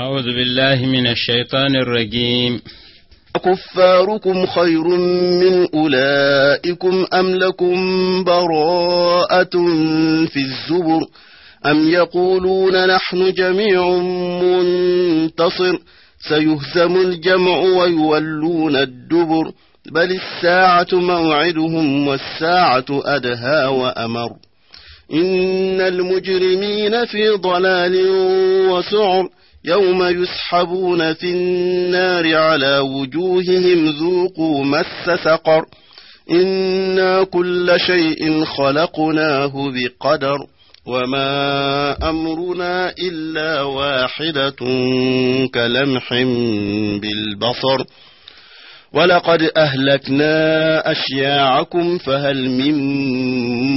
أعوذ بالله من الشيطان الرجيم. أكفاركم خير من أولئكم أم لكم براءة في الزبر أم يقولون نحن جميع منتصر سيهزم الجمع ويولون الدبر بل الساعة موعدهم والساعة أدهى وأمر إن المجرمين في ضلال وسعر يوم يسحبون في النار على وجوههم ذوقوا مس سقر إنا كل شيء خلقناه بقدر وما أمرنا إلا واحدة كلمح بالبصر ولقد أهلكنا أشياعكم فهل من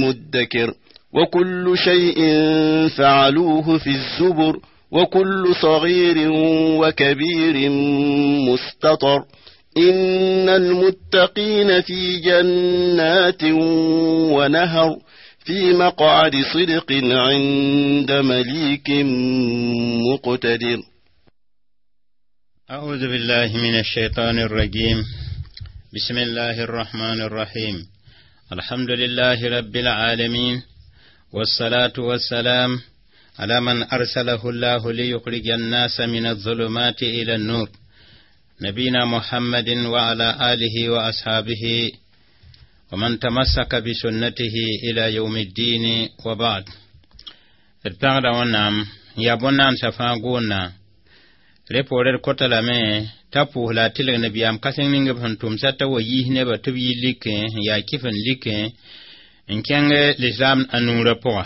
مدكر وكل شيء فعلوه في الزبر وكل صغير وكبير مستطر إن المتقين في جنات ونهر في مقعد صدق عند مليك مقتدر. أعوذ بالله من الشيطان الرجيم. بسم الله الرحمن الرحيم. الحمد لله رب العالمين، والصلاة والسلام على من أرسله الله ليخرج الناس من الظلمات إلى النور، نبينا محمد وعلى آله وأصحابه ومن تمسك بسنته إلى يوم الدين، وبعد. D pãgda Wẽnnaam yaa bõn-naandsã fãa goonna re poore d kota lame t'a pʋʋs la a tɩlg nabiyaam kãseng ning b sẽn tʋmsa t'a wa yiis nebã tɩ b yi likẽ n yaa kɩf n likẽ n kẽng lislaam a nuurã pʋga.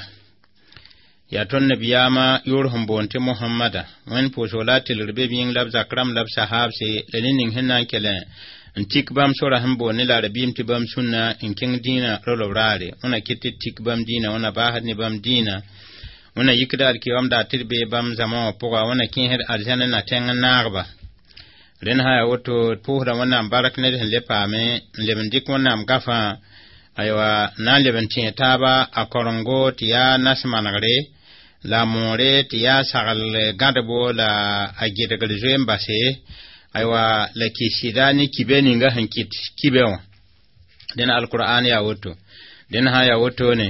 Yaa tõnd nabiyaamã yʋʋr sẽn boond tɩ Mohamada, Wẽnd pʋʋsg la a tɩlgr be b yĩng la b zak rãmb la b sahaabse la ne ning sẽn na n kell n tik bãmb sora sẽn boond ne la rabiim tɩ bãmb sũnna n kẽng dĩinã rolb raare. Wẽna kɩt tɩ tik bãmb dĩinã, wẽna baasd ne bãmb dĩinã, wẽna yikda alkiyom daar tɩ d bee bãmb zãma wã pʋga, wẽna kẽesd arzãn na tẽng n naagba. Rẽnd sã yaa woto, d pʋʋsda Wẽnnaam bark ned sẽn le paame n leb n dɩk Wẽnnaam gafã, aywa, na n leb n tẽ taaba a korengo tɩ yaa nas manegre la moore tɩ yaa sagl gãdbo la a gɩdgr zoe n base, aywa, la kɩsɩda ne kibe ninga sẽn kɩt kibe wã. Dẽn alqur'an yaa woto. Dẽn sã yaa wotone,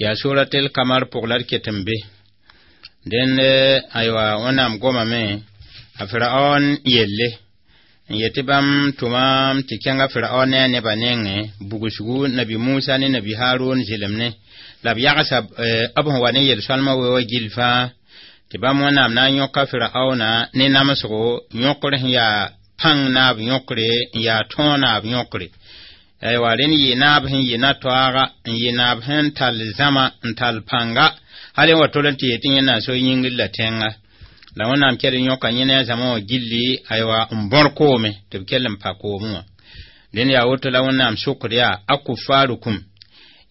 yaa suratel kamar pʋg la d ket n be. Dẽnd, aywa, Wẽnnaam gomame a Firaon yelle n yetɩ bãmb tʋmam tɩ kẽnga Firaon ne a nebã nengẽ bugsgu nabi Musa ne nabi Harun zɩlemne la b yagsa b sẽn wa ne yel-sõalmã we wa gill fãa tɩ bãmb Wẽnnaam na n yõka Firaona ne namsgo yõkr sẽn yaa pãng naab yõkre n yaa tõog naab yõkre. Aywa, rẽnd yɩ naab sẽn yɩ na-toaaga n yɩ naab sẽn tall zãma n tall pãnga hal n wa tol n tɩ yetɩ yẽ na n so yĩngr la tẽnga la Wẽnnaam kell n yõka yẽ ne a zãma wã gilli, aywa, n bõr koome tɩ b kell n pa koomẽ wã. Dẽnd yaa woto la Wẽnnaam sokd yaa akufarukum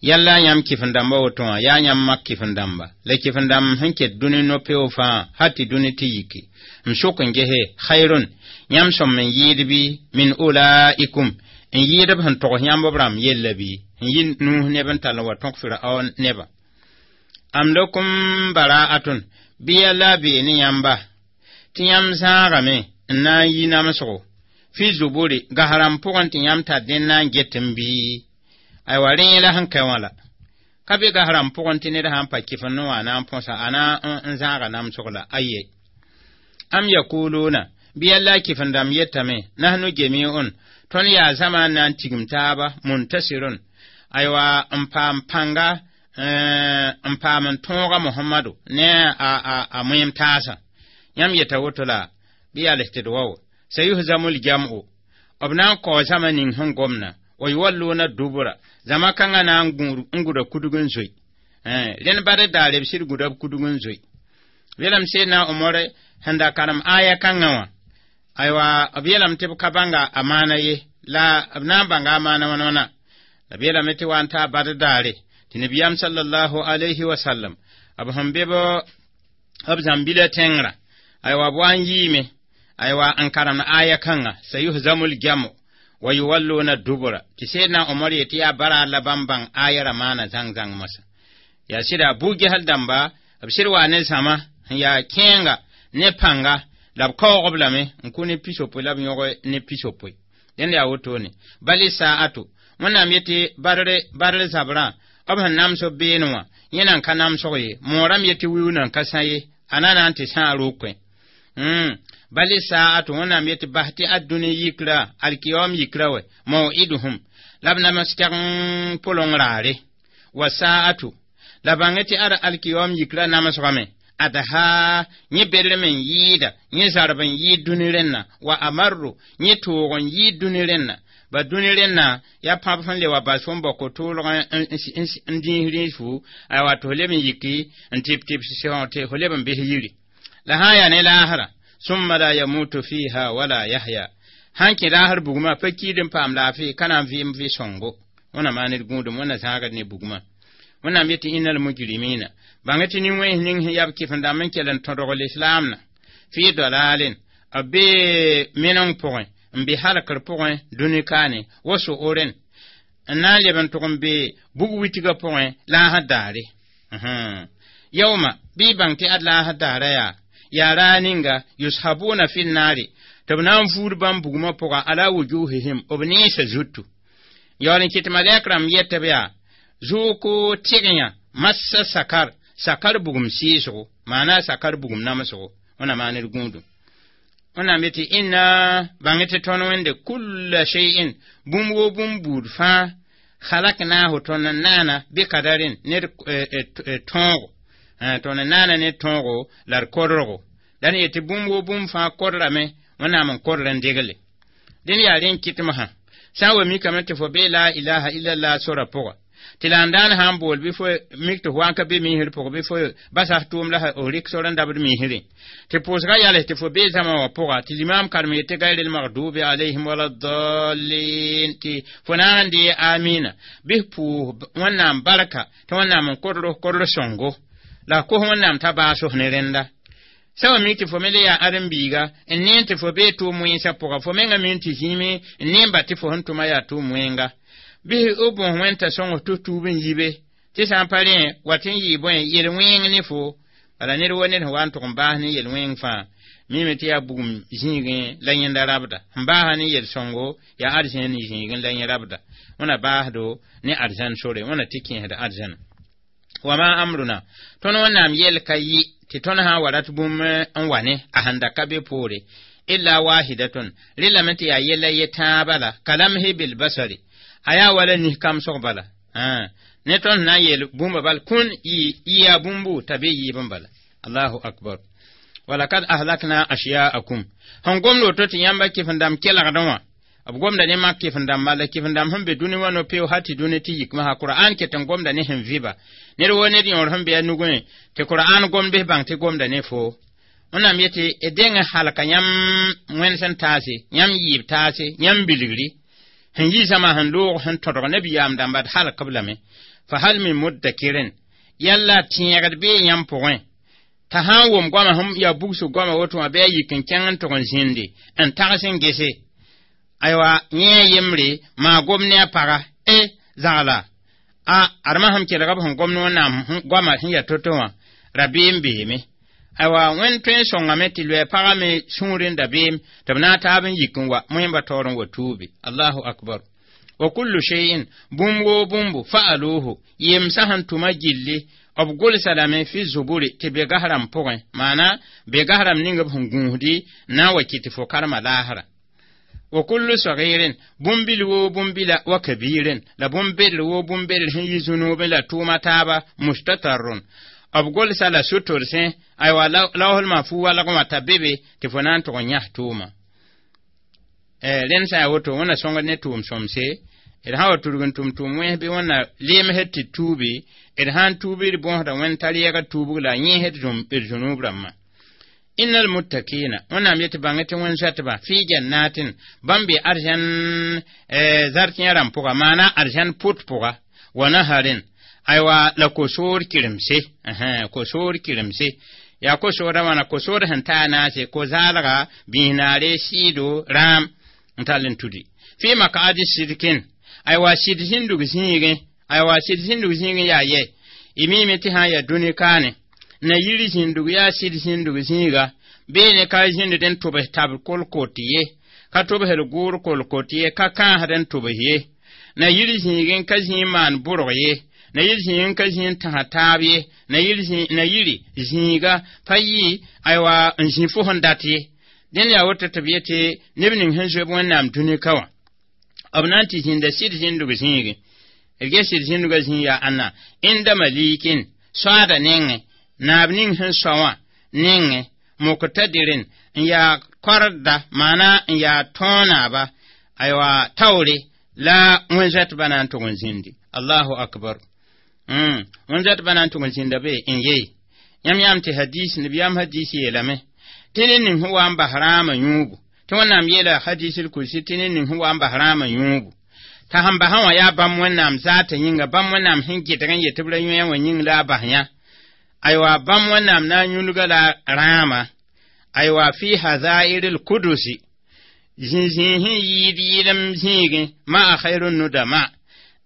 yalla yãmb kɩf-n-dãmba woto wã yaa yãmb mak kɩf-n-dãmba la kɩf-n-dãmb sẽn ket dũni no-peo fãa hal tɩ dũni tɩ yiki m sok n gese khayrun yãmb sõm n yɩɩd bɩ min ulaikum n yɩɩd b sẽn togs yãmb b rãmb yella bɩ n yɩ nuus neb n tall n wa tõk Firaon neba am lakum bara'atun bɩ yalla a bee ne yãmba tɩ yãmb zãagame n na n yi namsgo fi zuburi gasrãmb pʋgẽ tɩ yãmb tar dẽn na n get n bɩ. Aywa, rẽ la sẽn ka wã la ka be gasrãmb pʋgẽ tɩ ned sã n pa kɩf n wã a na n põsa a na n zãaga namsg la aye. Am yakuluna bɩ yalla a kɩf-n-dãmb yetame nahnu jami'un tõnd yaa zãma n na n tigim taaba muntasirun, aywa, n paam pãnga n paam n tõoga Mohamadu ne a moem taasã. Yãmb yeta woto la bɩ yaa les tɩ d wao sayuhzamu ljam'u b na n kao zãma ning sẽn gomna wa yuwalluna dubra zãma kãngã na n gʋda kudg n zoe. Rẽnd bad daare b sɩd gũda b kudg n zoe. Yeelame Seedna Omar sẽn da karem aya kãngã wã, aywa, b yeelame tɩ b ka bãnga a maana ye la b na n bãnga a maana wãna wãna la b yeelame tɩ wa n taa bad daare tɩ nabiyaam sallallahu alayhi wa sallam b sẽn be b zãmbila tẽngrã, aywa, b wa n yiime, aywa, n karemd aya kãngã sayuhzamul jamu wa yuwalluna dubura tɩ Seedna Omar yetɩ yaa bara la bãmb bãng aya ra maana zãng zãng moasã. Yaa sɩda bu-gesl dãmba b sɩd wa ne zãma sẽn yaa kẽenga ne pãnga La b kaoog b lame n kʋ ne pisopoe la b yõg ne pisopoe. Dẽnd yaa wotone. Bal sa'atu wẽnnaam yetɩ badr zabrã b sẽn nams b beene wã yẽ nan ka namsg ye moorame yetɩ wiu nan ka sã ye a na na n tɩ sãa rokẽ. Bal sa'atu wẽnnaam yetɩ bas tɩ ad-dũni yikra alkiyom yikra wɛ mau'iduhum la b nams tɛg pʋleng raare wa sa'atu la bãng tɩ ad alkiyom yikra namsgame adha yẽ bedrem n yɩɩda yẽ zarb n yɩɩd dũni rẽnna wa amarru yẽ toog n yɩɩd dũni rẽnna ba dũni rẽnna yaa pãb sẽn le wa bas fo n bao ko-toolg n dĩis rĩis fu aywa tɩ fo leb n yiki n tɩp tɩps tɩ fo leb n bɩs yiri la sã n yaa ne laasra summa la yamutu fiha wala yahya sãn kẽ laasr bugmã pa kiid n paam laafɩ ka na n vɩɩm vɩ sõngo wẽna maan d gũudum wẽna zãagd ne bugmã wẽnnaam yetɩ innal mujrimina bãng tɩ nin-wẽns ning sẽn yaa b kɩf-n-dãmb n kell n tõdg lislaamna fɩ dalalin b bee meneng pʋgẽ n be halkr pʋgẽ dũni kaane wa so'oren n na n leb n tʋg n be bug witgã pʋgẽ laasd daare yauma bɩ y bãng tɩ ad laasd daara yaa raa ninga yushabuna fi nnaare tɩ b na n vuud bãmb bugmã pʋga ala wujuhihim b nensã zutu yaool n kɩt malɛk rãmb yetɩ b yaa zuuku tɩgyã massa sakar sakar bugum sɩɩsgo maana sakar bugum namsgo wẽna maan d gũudum wẽnnaam yetɩ inna bãng tɩ tõnd wẽnde kulla shay'in bũmb woo bũmb buud fãa khalaknahu tõnd n naana bikadarin ne d tõogo tõnd n naana ne tõogo la d kodrgo la d yetɩ bũmb woo bũmb fãa kodrame wẽnnaam n kodr n degle dẽnd yaa rẽ n kɩtmsã sã n wa mikame tɩ fo bee la ilaha illallah sora pʋga tɩ la n daan sã n bool bɩ fo mik tɩ fo wa n ka be miisr pʋgẽ bɩ fo basa tʋʋm la f rɩk sor n dabd miisrẽ tɩ pʋʋsga yals tɩ fo bee zãma wã pʋga tɩ limaam karem yetɩ gayril magdubi alayhim wala dallin tɩ fo naag n dee amina bɩ f pʋʋs wẽnnaam barka tɩ wẽnnaam n kodr sõngo la kos wẽnnaam t'a baas f ne rẽnda sã wa mik tɩ fo me le yaa ãdem-biiga n neen tɩ fo bee tʋʋm wẽnsã pʋga fo menga min tɩ zĩime n neen ba tɩ fo sẽn tʋma yaa tʋʋm wẽnga bɩ b bõs wẽnta sõng tɩ tuub n yibe tɩ sã n pa rẽ wa tɩ n yɩɩ bõe yel-wẽng ne fo bala ned wa ned sẽn wa n tʋg n baas ne yel-wẽng fãa mime tɩ yaa bugum zĩigẽ la yẽnda rabda sẽn baasa ne yel-sõngo yaa arzẽn zĩigẽ la yẽ rabda wẽna baasdo ne arzãn sore wẽna tɩ kẽesd arzãna wa ma amruna tõnd wẽnnaam yɛl ka yɩ tɩ tõnd sã n wa rat bũmb n wa ne a sẽn da ka be poore illa wahidatun rɩlame tɩ yaa yɛla ye tãa bala kalamhi bilbasari a yaa wala nis kamsg bala ne tõnd na n yeel bũmba bal kũn yɩ yaa bũmbu t'a be yɩɩb n bala allahu akbar walakad ahlakna ashyaakum sẽn gomd woto tɩ yãmba kɩf-n-dãmb kelgdẽ wã b gomda ne mak kɩf-n-dãmba la kɩf-n-dãmb sẽn be dũni wã no-peo hal tɩ dũni tɩ yikmã Qur'an ket n gomda ne sẽn vɩba ned wo ned yõor sẽn be a nugẽ tɩ Qur'an gomd bɩs bãng tɩ gomda ne fo wẽnnaam yetɩ d deng halka yãmb wẽnd sẽn taase yãmb yɩɩb taase yãmb bilgri sẽn yi zãma sẽn loog sẽn tõdg nabiyaam dãmba d halk b lame fa hal min muddakirin yalla tẽegd bee yãmb pʋgẽ t'a sã n wʋm goama sẽn yaa bugsg goama woto wã bɩ a yik n kẽng n tʋg n zĩndi n tags n gese aywa yẽ a yembre maa gom ne a paga e zagla a adma sẽn kelg b sẽn gom ne wẽnnaam goama sẽn yaa to-to wã rabeem beeme aywa wẽnd tõe n sõngame tɩ loɛ pagã me sũur n dabeem tɩ b na n taab n yik n wa moẽmba taoor n wa tuubi allahu akbar wa kullu shay'in bũmb woo bũmbu fa'aluhu yemsã sẽn tʋma gilli b gʋlsa lame fi zuburi tɩ be gasrãmb pʋgẽ maana be gasrãmb ning b sẽn gũusdi na n wa kɩ tɩ fo karema laasra wa kullu sagirin bũmb-bil woo bũmb-bila wa kabirin la bũmb-bedr woo bũmb-bedr sẽn yi zũnuubẽ la tʋʋma taaba mustatarrun b gʋlsa la sutorsẽ aywa laosl fu walgẽ wã t'a be be tɩ fo na n tʋg n yãs tʋʋma rẽnd sã yaa woto wẽnna sõngd ne tʋʋm sõmse d sã wa tudg n tʋm tʋʋm wẽns bɩ wẽnna leemsd tɩ tuubi d sã n tuubi d bõosda wẽnd tar yɛgd tuubg la yẽsd d zũnuub rãmbã innal muttaqina wẽnnaam yetɩ bãng tɩ wẽn zoɛtba fɩ jannatin bãmb be arzãn zartẽ rãmb pʋga maana arzãn pʋt pʋga wa naharin aywa la ko-soor kiremse ko-soor kiremse yaa ko-soorã wãna ko-soor sẽn taa naase ko-zaalga biis-naare sɩɩdo rãam n tall n tudi fɩ makaadi sidkin aywa sɩd zĩndg zĩigẽ aywa sɩd zĩndg zĩigẽ yaa yɛ y miime tɩ sã n yaa dũni kaane na yiri zĩndg yaa sɩd zĩndg zĩiga Beene ka zĩnd n tʋbs tab kolkot ye, ka tʋbsd gʋʋr kolkot ye, ka kãasd n tʋbs ye. Na yir zĩigẽ ka zĩig maan bʋrg ye, na yir zĩigẽ ka zĩig n tãsa taab ye, na yir na yiri zĩiga pa yɩ aywa n zĩ fo sẽn dat ye. Dẽnd yaa woto tɩ b yetɩ neb ning sẽn zoe Wẽnnaam dũni ka wã, b na n tɩ zĩnda sɩd zĩndg zĩigẽ. D ges sɩd zĩndgã zĩig yaa ãnna? Ẽnda malikin soaada nengẽ, naab ning sẽn soa wã nengẽ, muqtadirin n yaa kɔrda, maana n yaa tõo naaba, aywa taoore la wẽn-zoɛtbã na n tʋg n zĩndi. Allahu akbar. Wẽn-zoɛtbã na n tʋg n zĩnda be n yee. Yãmb yãam tɩ hadis nabiyaam hadis yeelame tɩ ned ning sẽn wa n bas rãamã yũubu, tɩ Wẽnnaam yeela hadisul kursi tɩ ned ning sẽn wa n bas rãamã yũubu, t'a sẽn basã wã yaa bãmb Wẽnnaam zaata yĩnga, bãmb Wẽnnaam sẽn gɩdg n yet tɩ b ra yõe wã yĩng la a bas yã. Aywa bãmb Wẽnnaam na n yũlga la rãamã, aywa fi hazairil kudusi, zĩ-zĩig sẽn yɩɩd yɩlem zĩigẽ, ma a khairu nudama,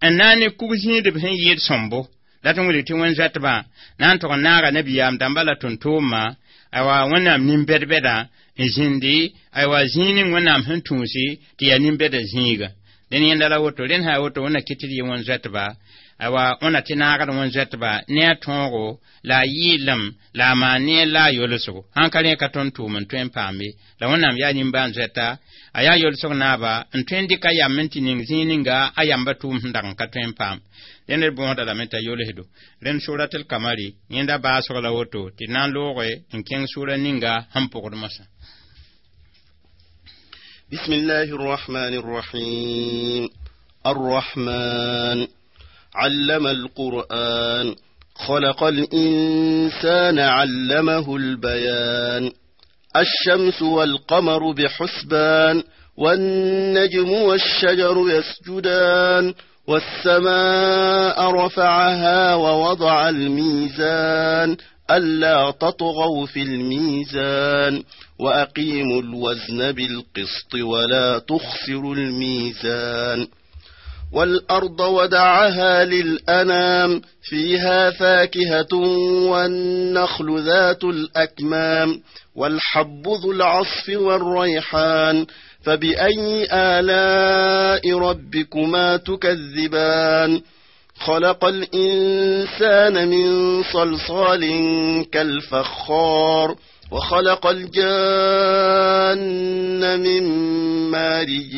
n na n ne kug zĩidb sẽn yɩɩd sõmbo. La tɩ wilg tɩ wẽn-zoɛtbã na n tʋg n naaga nabiyaam dãmba la tʋm-tʋʋmã, aywa Wẽnnaam nin-bɛd-bɛdã n zĩndi, aywa zĩig ning Wẽnnaam sẽn tũusi tɩ yaa nin-bɛdã zĩiga. Dẽn yẽnda la woto, rẽnd sã yaa woto, wẽnna kɩt tɩ d yɩ wẽn-zoɛtba, aywa wẽnna tɩ naagd wẽn-zoɛtba ne a tõogo la a yɩɩlem la a maan ne la a yolsgo. Sãn ka rẽ ka tõnd tʋʋm n tõe n paame la Wẽnnaam yaa nimbãan-zoɛta, a yaa yolsg naaba n tõe n dɩk a yam n tɩ ning zĩig ninga a yamba tʋʋm sẽn dag n ka tõe n paam. Dẽnd d bõosda lame t'a yolsdo. Rẽnd suratul kamari yẽnda baasg la woto tɩ d na n looge n kẽng sura ninga sẽn pʋgd mosã. بسم الله الرحمن الرحيم. الرحمن علم القرآن، خلق الإنسان علمه البيان. الشمس والقمر بحسبان، والنجم والشجر يسجدان، والسماء رفعها ووضع الميزان، ألا تطغوا في الميزان، وأقيموا الوزن بالقسط ولا تخسروا الميزان. والأرض ودعها للأنام، فيها فاكهة والنخل ذات الأكمام، والحب ذو العصف والريحان، فبأي آلاء ربكما تكذبان؟ خلق الإنسان من صلصال كالفخار، وخلق الجان من مارج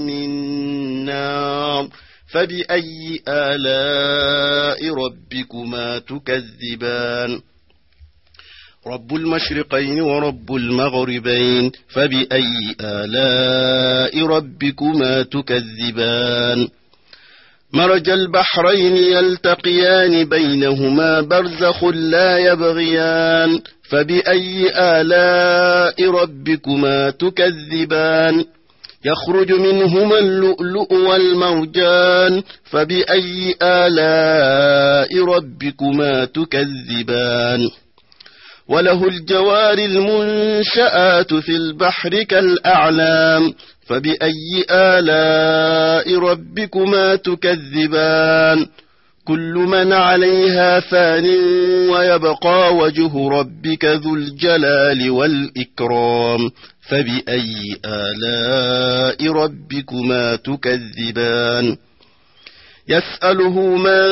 من نار، فبأي آلاء ربكما تكذبان؟ رب المشرقين ورب المغربين، فبأي آلاء ربكما تكذبان؟ مرج البحرين يلتقيان بينهما برزخ لا يبغيان، فبأي آلاء ربكما تكذبان؟ يخرج منهما اللؤلؤ والمرجان، فبأي آلاء ربكما تكذبان؟ وله الجوار المنشآت في البحر كالأعلام، فبأي آلاء ربكما تكذبان؟ كل من عليها فان ويبقى وجه ربك ذو الجلال والإكرام، فبأي آلاء ربكما تكذبان؟ يسأله من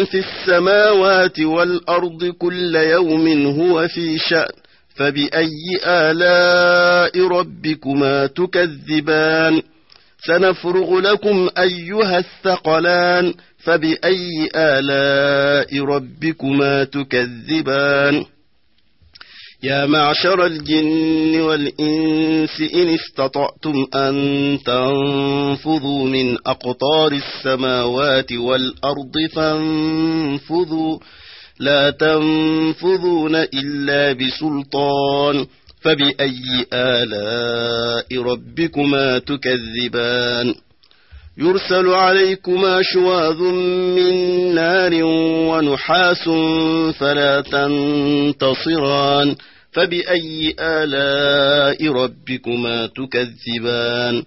في السماوات والأرض كل يوم هو في شأن، فبأي آلاء ربكما تكذبان؟ سنفرغ لكم أيها الثقلان، فبأي آلاء ربكما تكذبان؟ يا معشر الجن والإنس إن استطعتم أن تنفذوا من أقطار السماوات والأرض فانفذوا، لا تنفذون إلا بسلطان، فبأي آلاء ربكما تكذبان؟ يرسل عليكما شواظ من نار ونحاس فلا تنتصران، فبأي آلاء ربكما تكذبان؟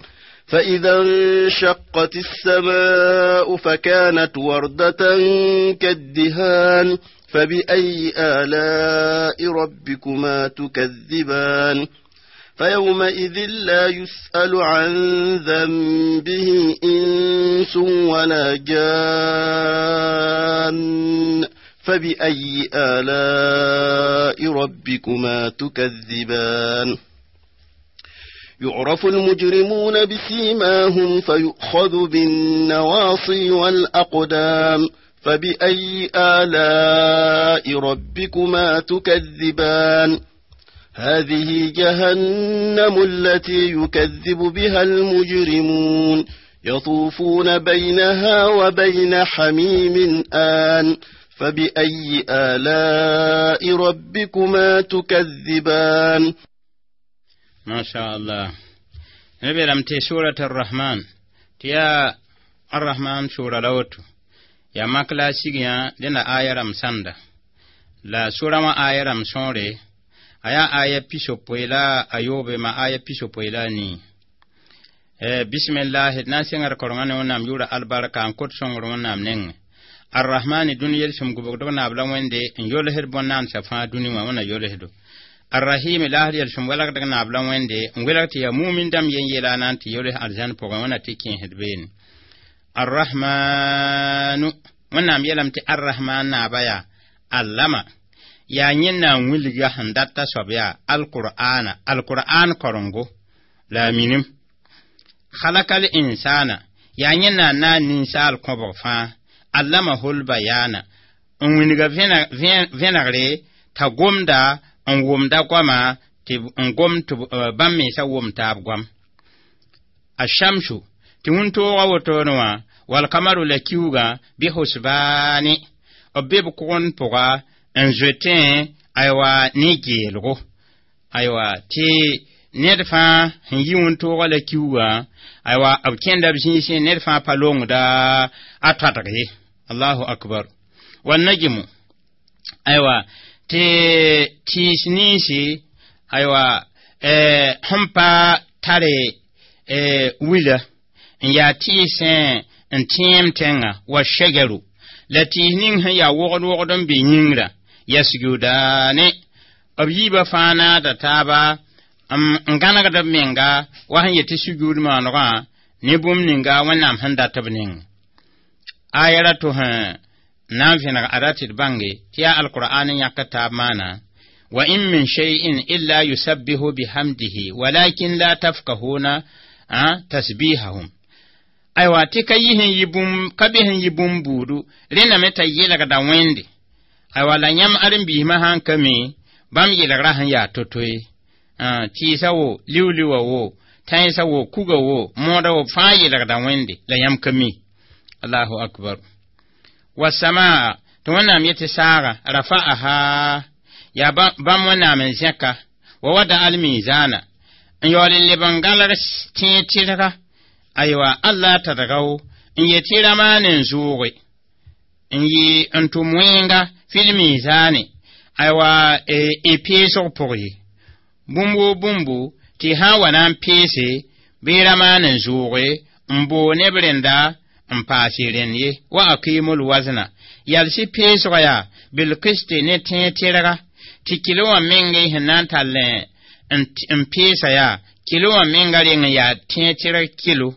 فإذا انشقت السماء فكانت وردة كالدهان، فبأي آلاء ربكما تكذبان فيومئذ لا يسأل عن ذنبه إنس ولا جان فبأي آلاء ربكما تكذبان يعرف المجرمون بسيماهم فيؤخذ بالنواصي والأقدام فبأي آلاء ربكما تكذبان هذه جهنم التي يكذب بها المجرمون يطوفون بينها وبين حميم آن فبأي آلاء ربكما تكذبان ما شاء الله نبي لمتي سورة الرحمن تيا الرحمن سورة لوتو يا مكلا سيغيا لنا آية رمساندا لا سورة ما آية رمسونري aya aya pisopoe la ayobe ma aya pisopoe la ni bismillah na sẽngr korengã ne wẽnnaam yʋʋra albarka n kot sõngr wẽnnaam nengẽ arrahmani dũni yel-sẽm gʋbgdg naab la wẽnde n yolsd bõn-naandsã fãa dũni wã wẽnna yolsdo arrahim laasd yel-sẽm welgdg naab la wẽnde n welg tɩ yaa mumin dãmb yen yeela na n tɩ yols arzãn pʋgẽ wẽnna tɩ kẽesd beene arrahmanu wẽnnaam yeelame tɩ arrahman naaba yaa allama yaa yẽnna n wilga sẽn data soab yaa alqur'ana alqur'an korengo la a minim khalakal insana yaa yẽnna n na n ninsaal kõbg fãa allamahul bayana n wilga vẽnegre t'a gomda n wʋmda goama tɩ n gom tɩ bãmb mensã wʋm taab goam ashamsu tɩ wĩntoogã wotone wã walkamaru la kiuugã bɩ husbaani b be b kʋgend pʋga n zoetẽ aywa ne geelgo aywa tɩ ned fãa sẽn yi wĩntoogã la kiuugã aywa b kẽnda b zĩisẽ ned fãa pa longda a toadg ye allahu akbar wa najmu aywa tɩ tɩɩs ninsi aywa sẽn pa tare wila n yaa tɩɩsẽ n tẽem tẽngã wa shajaru la tɩɩs ning sẽn yaa wogd wogd n be yĩngrã yasjudaane b yiibã fãa naada taaba n gãnegd b menga wa sẽn yetɩ sujuud maanegã ne bũmb ninga wẽnnaam sẽn dat b ning aya ra tɩ sẽn na n vẽneg ada tɩ d bãnge tɩ yaa alqur'an n yãk taab maana wa in min shay'in illa yusabbihu bihamdihi walakin la tafkahuna tasbihahum aywa tɩ ka yi sẽn yi bũmb ka be sẽn yi bũmb buudu rẽndame t'a yelgda wẽnde aywa la yãmb ãren-biismã sãn ka mi bãmb yelgrã sẽn yaa to-to ye tɩɩsã wo liu-liuwã wo tãensã wo kuga wo mõoda wo fãa yelgda wẽnde la yãmb ka mi allahu akbar wasamaa tɩ wẽnnaam yetɩ saaga rafa'aha yaa bãmb wẽnnaam n zẽka wa wada almizana n yaool n leb n gãlg tẽeg tɩrga aywa alla tadgaw n yetɩ ramaane n zʋʋge n yɩ n tʋm wẽnga fil mizane aywa e peesg pʋg ye bũmb woo bũmbu tɩ sã n wa na n peese bɩ ramaane n zʋʋge n boo neb rẽnda n paase rẽnd ye wa aqimul wazna yalsɩ peesga yaa bilkisti ne tẽeg tɩrga tɩ kilo wã meng sẽn na n tall n peesa yaa kilo wã menga reng n yaa tẽeg tɩrg kilo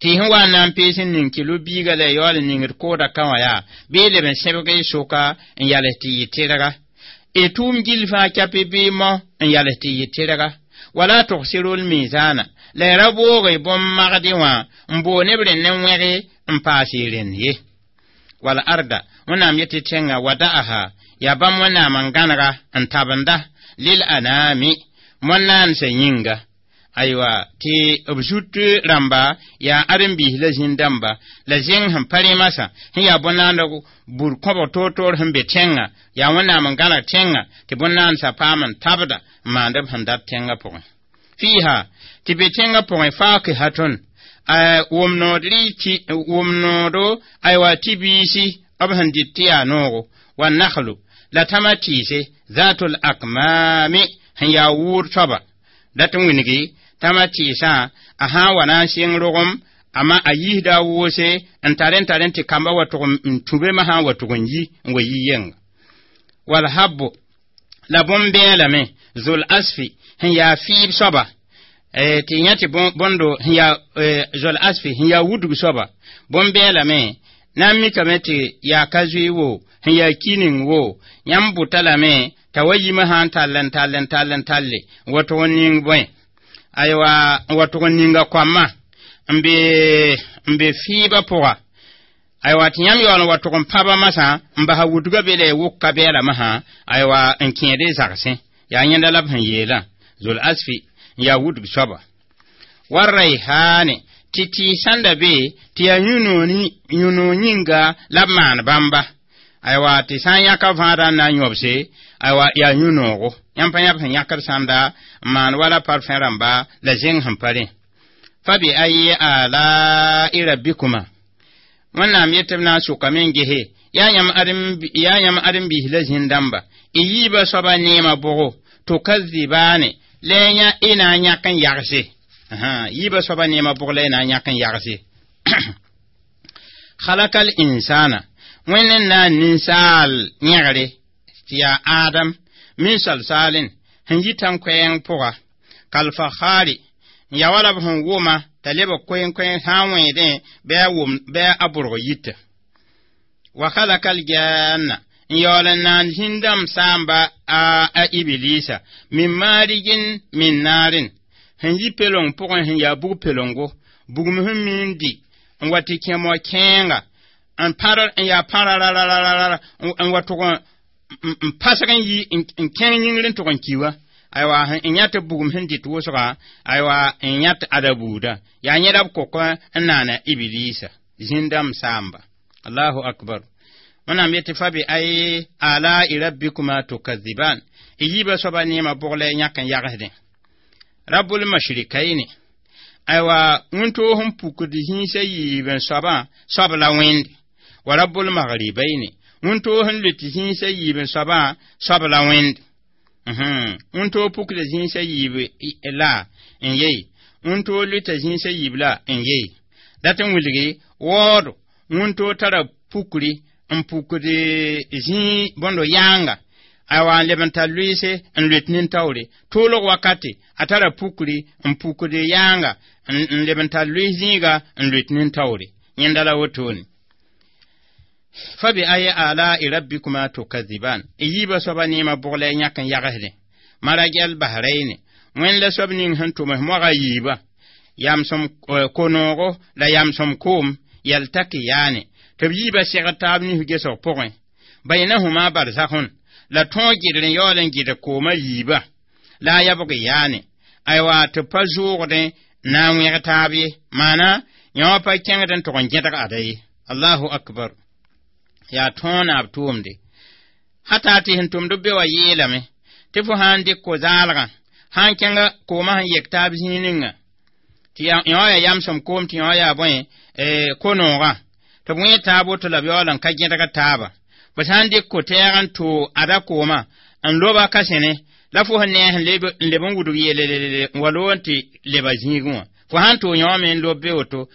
tɩ sẽn wa n na n pees n ning kilo biiga la yaool n ningd kooda ka wã yaa bɩ leb n sẽbg y soka n yals tɩ yɩ tɩrga y tʋʋm gill fãa kɛpɩ bɩ mao n yals tɩ yɩ tɩrga wala tugsirul mizana la y ra boog y bõn-magdẽ wã n boo neb rẽnd ne wẽge n paas y rẽnd ye wal arda wẽnnaam yetɩ tẽngã wada'aha yaa bãmb wẽnnaam n gãnega n tabenda lil anami moan-naansã yĩnga aywa tɩ b zut rãmba yaa ãren-biis la zĩn-dãmba la zẽng sẽn pa rẽmasã sẽn yaa bõn-naand bur kõbg toor-toor sẽn be tẽngã yaa wẽnnaam n gãneg tẽngã tɩ bõn-naandsã paam n tabda n maand b sẽn dat tẽngã pʋgẽ fiiha tɩ be tẽngã pʋgẽ fakihatun wʋm-noodo aywa tɩ biisi b sẽn dɩt tɩ yaa noogo wa nakhlu la tãma tɩɩse zatul akmami sẽn yaa wʋʋd soaba dat n wilgi tãma tɩɩsã a sã n wa na n sɩng rogem ama a yiisda a woose n tar n tar n tɩ kambã wa tʋg n tũ be sã n wa tʋg n yi n wa yi yenga Wal habbu la bõn-bɛɛlame zol asfi sẽn yaa fɩɩb soaba tɩ yã tɩ bõndo sẽn yaa zol asfi sẽn yaa wudg soaba bõn-bɛɛlame na n mikame tɩ yaa ka zoe wo sẽn yaa ki ning wo yãmb bʋta lame t'a wa yimã sã n tall n tall n tall n talle n wa tʋg n ning bõe aywa n wa tʋg n ninga koamã n be fɩɩbã pʋga aywa tɩ yãmb yaool n wa tʋg n pãba masã n basa wudgã be la y wʋk ka bɛɛla masã aywa n kẽed y zagsẽ yaa yẽnda la b sẽn yeelã zol asfi n yaa wudg soaba wa rayhaane tɩ tɩɩs sãn da be tɩ yaa yũ-noog yĩnga la b maan bãmba aywa tɩ sã n yãka vãadã n na n yõbse aywa yaa yũ-noogo yãmb pa yãb sẽn yãkd sãnda n maan wala parfẽ rãmba la zẽng sẽn pa rẽ fa bi ayi ala'i rabbikuma wẽnnaam yet tɩ b na n sʋkame n gese yaa yãmb ãdem-biis la zĩn-dãmba y yiibã soaba neemã bʋgo tukazibaane la y na n yãk n yagse yiibã soaba neemã bʋg la y na n yãk n yagse khalakal insana wẽnd n na n ninsaal yẽgre tɩ yaa Adam min salsalin sẽn yi tãn-koɛɛng pʋga kalfakhari n ya wala b sẽn wʋma t'a leb koen-koɛɛng sã n wẽedẽ bɩ a bʋrg yita wa khalakal janna n yaool n naan zĩn-dãmb saamba a ibilisa min maarijin min naarin sẽn yi pelong pʋgẽ sẽn yaa bug pelongo bugum sẽn miin di n wa tɩ kẽ mo-kẽenga n pãr n yaa pãrarararara n wa tʋg n pasg n yi n kẽng yĩngr n tʋg n ki wa aywa n yã tɩ bugum sẽn dɩt wʋsga aywa n yã tɩ ada buuda yaa yẽda b kok n naana ibilisa zĩn-dãmb saamba allahu akbar wẽnnaam yetɩ fa bi ay ala'i rabbikuma tukaziban y yiibã soaba neemã bʋg la y yãk n yagsdẽ rabbul mashrikaini aywa wĩntoog sẽn pukd zĩisã yiib n soabã soab la wẽnde wa rabbul maghribaini wĩntoog sẽn lut zĩisã yiib n soabã soab la wẽnde wĩntoog pukda zĩisã yiib la n yei wĩntoog luta zĩisã yiib la n yei dat n wilgi waoodo wĩntoog tara pukri n pukd zĩig bõndo yãanga aywa n leb n tar lʋɩɩse n loet nin-taoore toolg wakate a tara pukri n pukd yãanga n leb n tar lʋɩɩs zĩiga n loet nin-taoore yẽnda la wotone fa bi ayi ala'i rabbikuma tukaziban y yiibã soaba neemã bʋg la y yãk n yagsdẽ marajal bahraini wẽnd la soab ning sẽn tʋms moagã yiibã yamsem ko-noogo la yamsem koom yaltakiyaane tɩ b yiibã segd taab nif gesg pʋgẽ baynahuma barzakhun la tõog gɩdr n yaool n gɩdg koomã yiibã la a yabg yaane aywa tɩ pa zʋʋgdẽ na n wẽg taab ye maana yã wã pa kẽngd n tʋg n gẽdg ada ye allahu akbar yaa tõog naab tʋʋmde hata tɩ sẽn tʋmd b be wa yeelame tɩ fo sã n dɩk ko-zaalgã sã n kẽnga koomã sẽn yek taab zĩig ninga tɩ yã wã yaa yamsem koom tɩ yã wã yaa bõe ko-noogã tɩ b wẽ taab woto la b yaool n ka gẽdg taaba b sã n dɩk ko-tɛɛg n too ada koomã n loba ka sẽne la fo sẽn nees n leb n wudg yeelelelele n wa loog n tɩ leba zĩigẽ wã fo sã n too yã wã me n lob be woto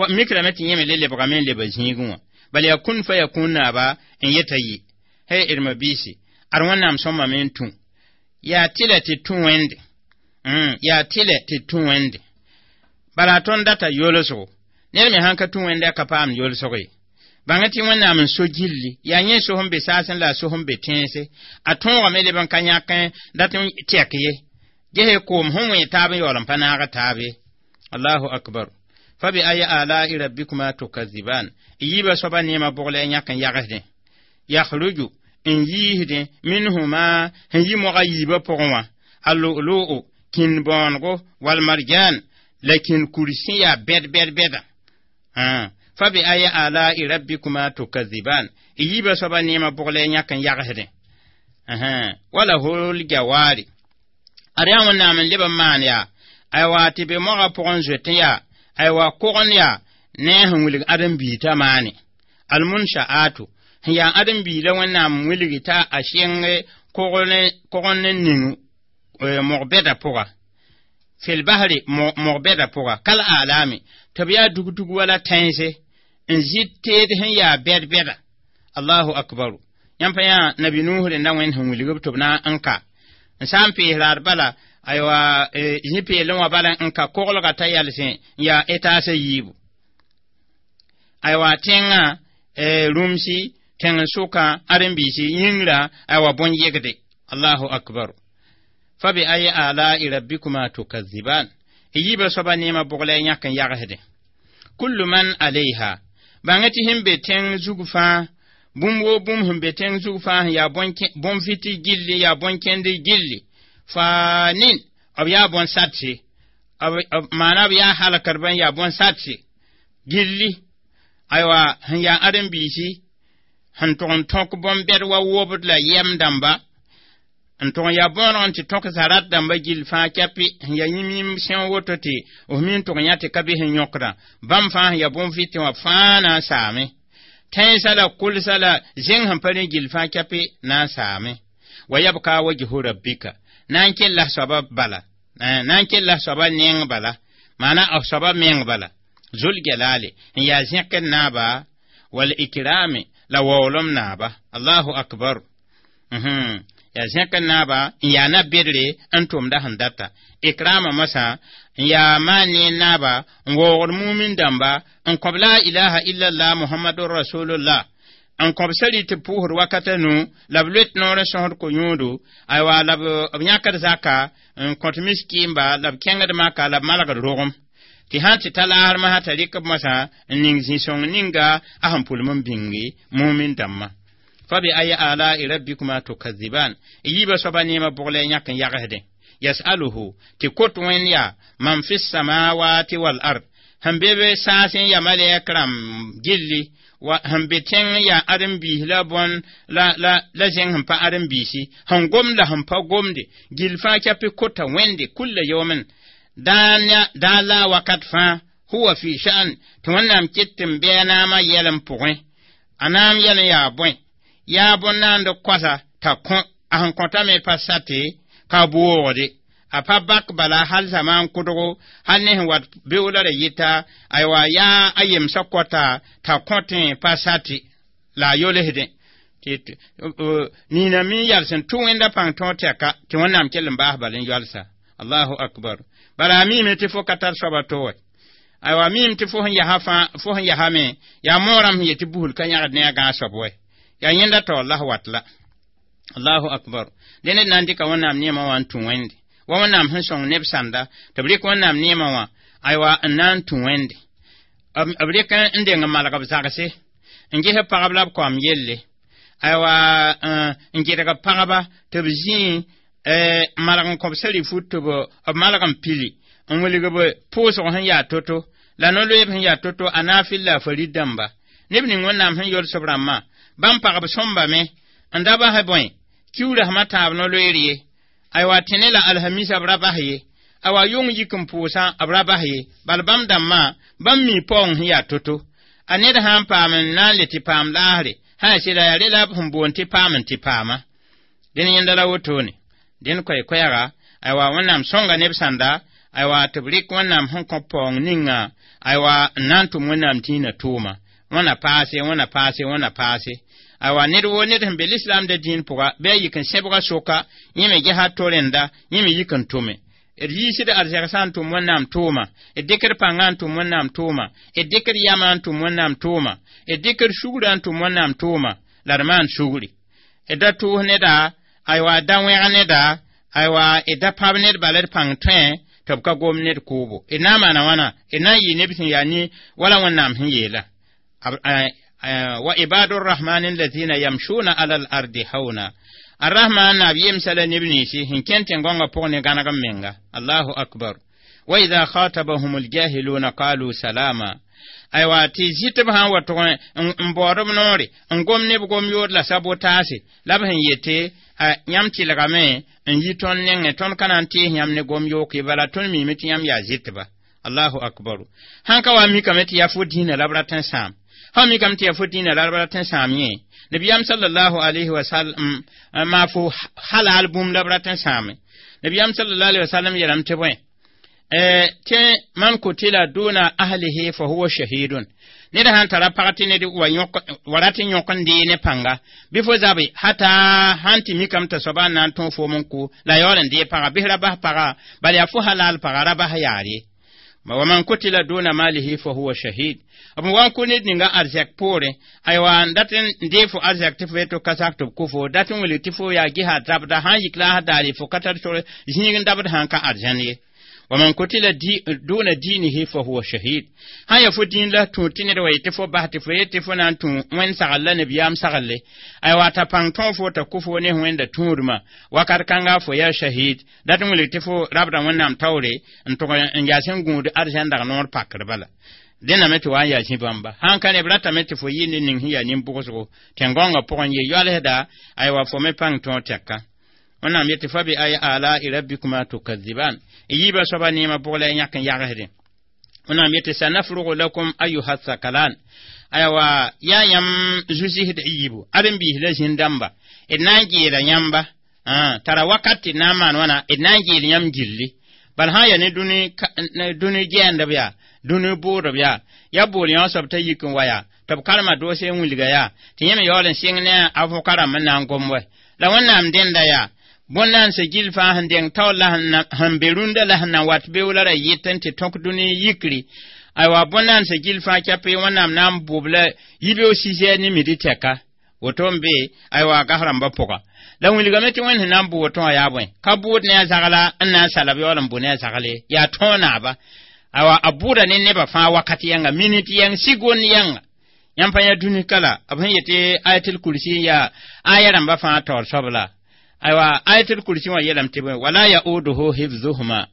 mikrame tɩ yẽ me le lebgame n leba zĩigẽ wã bala yaa kun fa yaa kũun naaba n yeta yɩ hey d biisi ad wẽnnaam sõmame n tũ yaa tɩlɛ tɩ tũ wẽnde yaa tɩlɛ tɩ tũ wẽnde bala tõnd data yolsgo ned me sãn ka tũ wẽnde a ka paam yolsg ye bãng tɩ wẽnnaam n so gilli yaa yẽ so sẽn be saasẽ la a so sẽn be tẽense a tõogame leb n ka yãk dat n tɛk ye gese koom sẽn wẽ taab n yaool n pa naag taab ye allahu akbar fa bi ayi ala'i rabbikuma tukaziban y yiibã soaba neemã bʋg la y yãk n yagsdẽ yakhruju n yiisdẽ minhuma sẽn yi mogã yiibã pʋgẽ wã a lu'lu'u kĩn-bõonego walmarjan la kĩn-kur sẽn yaa bɛd bɛd bɛda fa bi ayi ala'i rabbikuma tukaziban y yiibã soaba neemã bʋg la y yãk n yagsdẽ wala hol jawari ad yaa wẽnnaam n leb n maan yaa aywa tɩ be mogã pʋgẽ zoetẽ yaa aywa kogn yaa ne sẽn wilg ãdem-biig t'a maane almunsha'atu sẽn yaa ãdem-biig la wẽnnaam wilgi t'a a sɩng kogn ne ning mog-bɛda pʋga fil bahri mog-bɛda pʋga kal alami tɩ b yaa dugdug wala tãense n zɩ teed sẽn yaa bɛd-bɛda allahu akbaru Yãmb pa yã nabi Nuh rẽnda Wẽnd sẽn wilg b tɩ b na n ka n sã n pees raad bala, aywa, zĩ peelẽ wã bala n ka koglga t'a yalsẽ n yaa etaas a yiibu. Aywa, tẽngã rũmsi tẽng n sʋka ãdem-biisi yĩngrã, aywa, bõn-yegde. Allahu akbar. Fa bi ayi ala'i rabbikuma tukaziban. Y yiibã soaba neemã bʋg la y yãk n yagsdẽ. Kullu man alayha, bãng tɩ sẽn be tẽng zug fãa, bũmb woo bũmb sẽn be tẽng zug fãa sẽn yaa bõn-vɩt gilli, yaa bõn-kẽnd gilli, faanin, b yaa bõn-satse, maana b yaa halkdbã n yaa bõn-satse gilli. Aywa, sẽn yaa ãdem-biisi sẽn tʋg n tõk bõn-bɛd wa wobd la yɛm dãmba, n tʋg n yaa bõoneg n tɩ tõk zarat dãmba gill fãa kɛpɩ sẽn yaa yĩm-yĩm sẽn woto tɩ f mi n tʋg yã tɩ ka bɩ sẽn yõkdã. Bãmb fãa sẽn yaa bõn-vɩtẽ wã fãa na n saame. Tẽnsã la kʋlsã la zẽng sẽn pa rẽ gill fãa kɛpɩ na n saame. Wa yabka wajhu rabbika, na n kell la soaba bala, na n kell la soaba neng bala, maana b soaba meng bala, zul jalali n yaa zẽkd naaba, wal ikrami la waoolem naaba. Allahu akbar. Yaa zẽkd naaba n yaa na-bedre n tʋmda sẽn data ikrama masã n yaa maan ne naaba n waoogd mumin dãmba n kõb la ilaha illallah muhammadur rasulullah, n kõb sari tɩ pʋʋsd wakata nu la b loet noor n sõsd ko-yũudu. Aywa, la b yãkd zaka n kõt miskiimba, la b kẽngd maka, la b malgd rogem tɩ sã n tɩ ta laasr masã t'a rɩk b masã n ning zĩ-sõng ninga a sẽn pʋlem n bĩngi mumin dãmbã. Fa bi ayi ala'i rabbikuma tukaziban. Y yiibã soaba neemã bʋg la y yãk n yagsdẽ. Yasaluhu, tɩ kot Wẽnd yaa, man fi samawati wal ard, sẽn be be saasẽ ya malɛk rãmb gilli wa sẽn be tẽng yaa ãdem-biis la bõn la la la zẽng sẽn pa ãdem-biisi, sẽn gomd la sẽn pa gomde, gill fãa kɛpɩ kota Wẽnde kulla yawmin, daa la wakat fãa, huwa fi sha'an, tɩ Wẽnnaam ket tɩ n bɩ a naamã yɛlem pʋgẽ. A naam yɛl n yaa bõe? Yaa bõn-naand koasa t'a kõ a sẽn kõtame pa sate ka boogde a pa bak bala hal zamaan kʋdgo, hal ne sẽn wat beoola ra yɩta. Aywa, yaa a yemsã kɔta t'a kõtẽ pa sate la a yolsdẽ tɩ nina mi yals n tʋ Wẽnda pãng tõog tɛka tɩ Wẽnnaam kell n baas bal n yɔlsa. Allahu akbar. Bala a miime tɩ fo ka tar soaba to wɛ. Aywa, miime tɩ fo sẽn yasa fãa, fo sẽn yasame yaa moorãmb sẽn yetɩ busl ka yãgd ne a gãag soab wɛ, yaa yẽnda taoor la wat la. Allahu akbar. Dẽ ned na n dɩka Wẽnnaam neemã wã n tũ Wẽnde wa Wẽnnaam sẽn sõng neb sãnda tɩ b rɩk Wẽnnaam neemã wã, aywa, n na n tũ Wẽnde. B rɩk n deng n malg b zagse n ges pagb la b kaoam yelle. Aywa, n gɩdg pagba tɩ b zĩi malg n kõb sari fut tɩ b malg n pili n wilg b pʋʋsg sẽn yaa to-to la no-loeeb sẽn yaa to-to a naafɩl la a farid dãmba. Neb ning Wẽnnaam sẽn yols b rãmbã bãmb pagb sõmbame n da basɛ bõe kiuura sẽma tãab no-loeer ye. Aywa, tẽne la alhamisa b ra bas ye, aywa, yʋng yik n pʋʋsã b ra bas ye, bal bãmb dãmbã bãmb mi paoong sẽn yaa to-to. A ned sã n paam n na n le tɩ paam laasre sã yaa sɩda yaa re la b sẽn boond tɩ paam n tɩ paama. Dẽn yẽnda la wotone dẽn koɛ-koɛɛga. Aywa, Wẽnnaam sõnga neb sãnda, aywa, tɩ b rɩk Wẽnnaam sẽn kõ paoong ninga, aywa, n na n tʋm Wẽnnaam dĩinã tʋʋma. Wẽna paase, wẽna paase, wẽna paase. Aywa, ned woo ned sẽn be lislaamda dĩin pʋga bɩ a yik n sẽbga soka yẽ me gesa to rẽnda, yẽ me yik n tʋme. D yiisd arzegsã n tʋm Wẽnnaam tʋʋma, d dɩkd pãngã n tʋm Wẽnnaam tʋʋma, d dɩkd yamã n tʋm Wẽnnaam tʋʋma, d dɩkd sugrã n tʋm Wẽnnaam tʋʋma, la d maan sugri. D da tʋʋs neda, aywa, da wẽg neda, aywa, d da pãb ned bala d pãng tõe tɩ b ka gom ned kʋʋbo. D na n maana wãna, d na n yɩ neb sẽn yaa ne wala Wẽnnaam sẽn yeela: wa ibadu rrahmani alladhina yamshuna ala al ardi hauna. Arrahman naab yemsa la neb ninsi sẽn kẽn tẽn-gõngã pʋg ne gãneg n menga. Allahu akbar. Wa idha khatabahum aljahiluna qalu salama. Aywa, tɩ zɩtb sã n wa tʋg n baood b noore n gom neb gom yood la sabotaase la b sẽn yete yãmb tɩlgame n yi tõnd nengẽ, tõnd ka na n tees yãmb ne gom yook ye, bala tõnd miime tɩ yãmb yaa zɩtba. Allahu akbar. Sãn ka wa mikame tɩ yaa fo dĩinã la b rat n sãam, sã mikame tɩ yaa fo dĩinã la b rat n sãam yẽ Nabiyam sallallahu alaihi wa sallam ma fo halal bũmb la b rat n sãame. Nabiyam sallallahu alaihi wa sallam yeelame tɩ bõe Tɩ man kutila duna ahlihi fa huwa shahidun. Ned sãn tara pag tɩ ned wa rat n yõk n dee ne pãnga bɩ fo zabe hata sãn tɩ mikame t'a soaba n na n tõog foom n kʋ la yaool n dee paga bɩs ra bas paga bala yaa fo halal paga ra bas yaar ye. Wa man kutila duna malihi fa huwa shahid. B wa n kʋ ned ninga arzɛk poorẽ aywa n dat n dee fo arzɛk tɩ fo yeto ka sak tɩ b kʋ fo dat n wilg tɩ fo yaa gesa zabda sãn yik la a daare fo ka tar sor zĩig n dabd sãn ka arzãn ye. Wa man kutila duna dinihi fa huwa shahid. Sã ya fo dĩin la tũ tɩ ned wa yetɩ fo bas tɩ fo yetɩ fo na n tũ wẽnd sagl la nabiyaam sagle aywa t'a pãng tõog fo t'a kʋ fo ne wẽnda tũudmã wakat kãnga fo yaa shahid dat n wilg tɩ fo rabda wẽnnaam taoore n tʋg n yaa sẽn gũud arzãn dag noor pakr bala. Dẽname tɩ wa n yaa zĩ bãmba sãn ka neb ratame tɩ fo yɩ ne ning sẽn yaa nin-bʋgsgo tẽn-gãongã pʋgẽ ye yoalsda aywa fo me pãng tõog tɛka. Wẽnnaam yetɩ fa bi ay ala'i rabbikuma tukadziban yiibã soaba neemã bʋg la y yãk n yagsdẽ. Wẽnnaam yetɩ sanafrugu lakum ayuha thakalan aywa yaa yãmb zu-zɩsd y yiibu aren-biis la zĩn-dãmba d na n geela yãmba tara wakat tɩ d na n maan wãna d na n geel yãmb gilli bal sã n yaa ne dũni gɛɛndb yaa dũni bʋʋdb yaa ya bool yõ soab t'a yik n wa yaa tɩ b karema doose n wilga yaa tɩ yẽ me yaool n sɩng ne a vʋka rãmb n na n gom wɛ la wẽnnaam dẽnda yaa bõn-naansa gill fãa sẽn deng taoor la sẽn be rũndã la sẽn na n wat beoola ra yɩt n tɩ tõk dũni yikri aywa bõn-naansa gill fãa kɛpɩ wẽnnaam na n bʋb la yibeoog sisɛɛr ne midi tɛka woto n be aywa gas rãmbã pʋga la wilgame tɩ wẽnd sẽn na n bʋ woto wã yaa bõe ka bʋʋd ne a zagla n na n salb yaool n bʋ ne a zagle yaa tõog naaba aywa a bʋʋda ne nebã fãa wakat yãnga minit yãng sigond yãnga yãmb pa yã dũni ka la b sẽn yetɩ ayatul kursi yaa aya rãmbã fãa taoor soab la aywa ayatul kursi wã yeelame tɩ bõe wala yauduhu hifzuhuma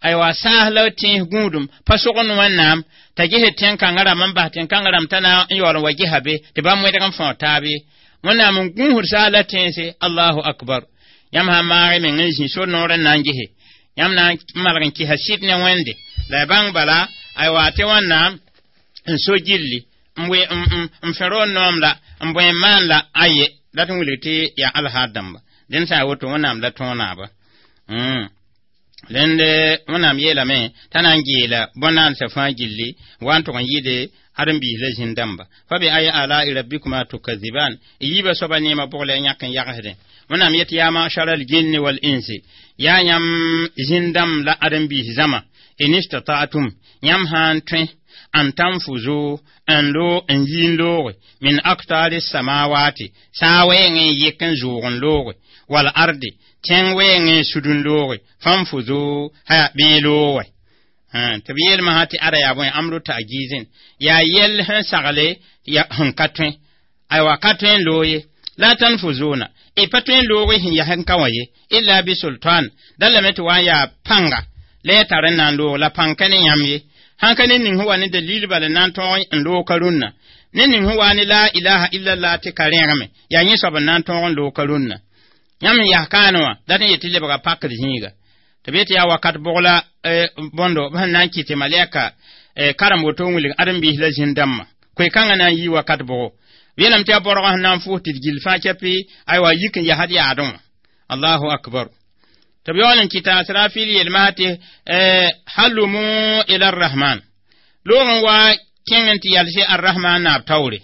aywa saas la tẽes gũudum pa sogend wẽnnaam t'a ges tẽn-kãngã rãmb n bas tẽn-kãngã rãmb t'a na n yaool n wa gesa be tɩ bãmb wẽdg n fãoog taab ye wẽnnaam n gũusd saas la tẽense allahu akbar yãmb sã n maag y meng n zĩ sor noor n na n gese yãmb na n malg n kɩsa sɩd ne wẽnde la y bãng bala aywa tɩ wẽnnaam n so gilli n fẽro n noom la n bõe n maan la aye la tɩ n wilg tɩ yaa alhaar dãmba dẽnd sã n woto wẽnnaam la tõog naaba rẽnd wẽnnaam yeelame t'a na n geela bõn-naansã fãa gilli wa n tʋg n yɩɩde aren-biis la zĩn-dãmba fa bi ay ala'i rabbikuma tukadziban y yiibã soaba neemã bʋg la y yãk n yagsdẽ wẽnnaam yetɩ yaa ma'shara al-jinni wal insi yaa yãmb zĩn-dãmb la aren-biis zãma in istata'tum yãmb sã n tõe an tanfuzu n loo n yi n looge min aktari samawati saa wɛɛngẽ n yɩk n zʋʋg n looge wal ardi tẽng wɛɛngẽ n sud n looge fanfuzu haya bɩ looge tɩ b yeelmã sã tɩ ada yaa bõe amru ta'gizin yaa yɛl sẽn sagle sẽn ka tõe aywa ka tõe n loog ye la tanfuzuna y pa tõe n loog sẽn yaa sẽn ka wã ye illa bi sultan da lame tɩ wa n yaa pãnga la ya tar n na n loog la pãng ka ne yãmb ye sãn ka ne ning sẽn wa ne dalil bala na n tõog n loog ka rũnnã ne ning sẽn wa ne la ilaha illallah tɩ ka rẽgme yaa yẽ soab n na n tõog n loog ka rũnnã yãmb n yas kaane wã dat n yetɩ lebga pakr zĩiga tɩ b yetɩ yaa wakat bʋg la bõndo b sẽn na n kɩ tɩ malɛka karem woto n wilg ãdem-biis la zĩn-dãmbã koe-kãngã na n yii wakat bʋgo b yeelame tɩ yaa bɔrgã sẽn na n fʋʋs tɩ d gill fãa kɛpɩ aywa yik n yasd yaadẽ wã allahu akbar tɩ b yaool n kɩta asrafil yelmã tɩ halumu ila arrahman loog n wa kẽng n tɩ yalse arrahman naab taoore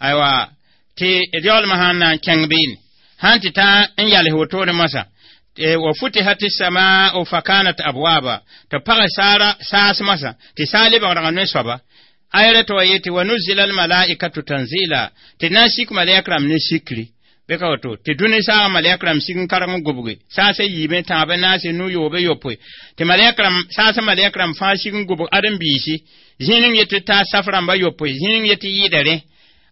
aywa tɩ d yaoolmã sãn na n kẽng beene sãn tɩ ta n yals wotone moasã wa futihat as-samaa'u fa kanat abwaba tɩ pag saara saas moasã tɩ saa lebgdga ne soaba ayra tɩ wa yetɩ wa nuzila almalaikatu tanzila tɩ na n sik malɛk rãmb ne sikri bɩ ka woto tɩ dũni saagã malɛk rãmb sig n karg n gobge saasã yiibẽ tãabẽ naase nu-yoobe yopoe tɩ malɛk rãmb saasã malɛk rãmb fãa sig n gobg ãdem-biisi zĩig ning yetɩ taa saf rãmbã yopoe zĩig ning yetɩ yɩɩda rẽ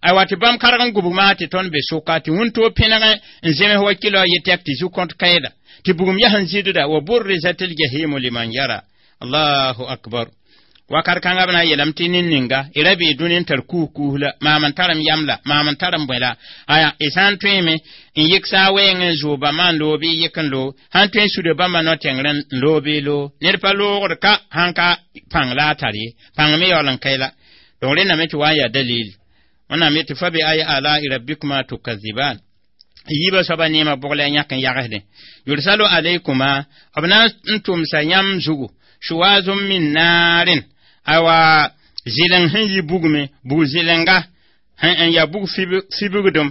aywa tɩ bãmb karg n gubg maa tɩ tõnd be sʋka tɩ wũntoo pẽneg n zems wa kɩlo yetɛk tɩ zu-kõt kaeeda tɩ bugum yaa sẽn zɩdda wa burrizat aljahimu liman yara allahu akbar wakat kãngã b na n yeelame tɩ nin-ninga y ra bee dũni n tar kuus-kuus la maam n tar m yam la maam n tar m bõe la aya y sã n tõeme n yɩk saa wɛɛng n zʋʋg bãmba n loog bɩ y yɩk n loog sã n tõe n suda bãmba no-tẽngr n loog bɩ y loog ned pa loogd ka sãn ka pãng la a tar ye pãng me yaool n kae la donc rẽndame tɩ wa n yaa dalil wẽnnaam yetɩ fa bi ay ala'i rabbikuma tukaziban Yiibã soaba neemã bʋg la a yãk n yagsdẽ. Yursalu alaykuma, b na n tʋmsa yãmb zugu shuwazun min naarin, aywa zɩleng sẽn yi bugme, bug zɩlenga n ya bug fibgdem,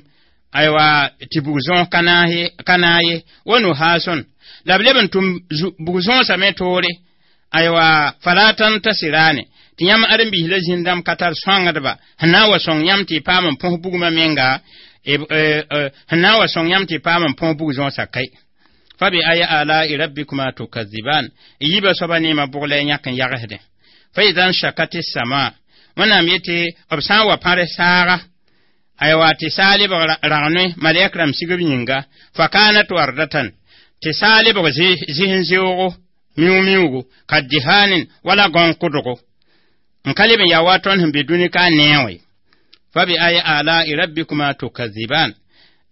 aywa tɩ bug zõos ka naag ye, wa nuhaasun, la b leb n tʋm bug zõosã me toore, aywa fala tantasirane, tɩ yãmb ãdem-biis la zĩn-dãmb ka tar sõangdba sẽn na n wa sõng yãmb tɩ y paam n põs bugmã menga, sẽn na n wa sõng yãmb tɩ y paam n põs bug zõosã kae. Fa bi ayi alai rabbikuma tukaziban, y yiibã soaba neemã bʋg la y yãk n yagsdẽ. Fa idan shakati sama, wẽnnaam yetɩ b sã n wa pãrs saaga, aywa tɩ saa lebg ragnoe malɛk rãmb sigb yĩnga, fa kanat wardatan, tɩ saa lebg zɩs n zeoogo miu-miugu ka dihanin wala gãon-kʋdgo n ka leb n yaa wa tõnd sẽn be dũni ka n neẽ wã. Fa bi ayi alai rabbikuma tukaziban,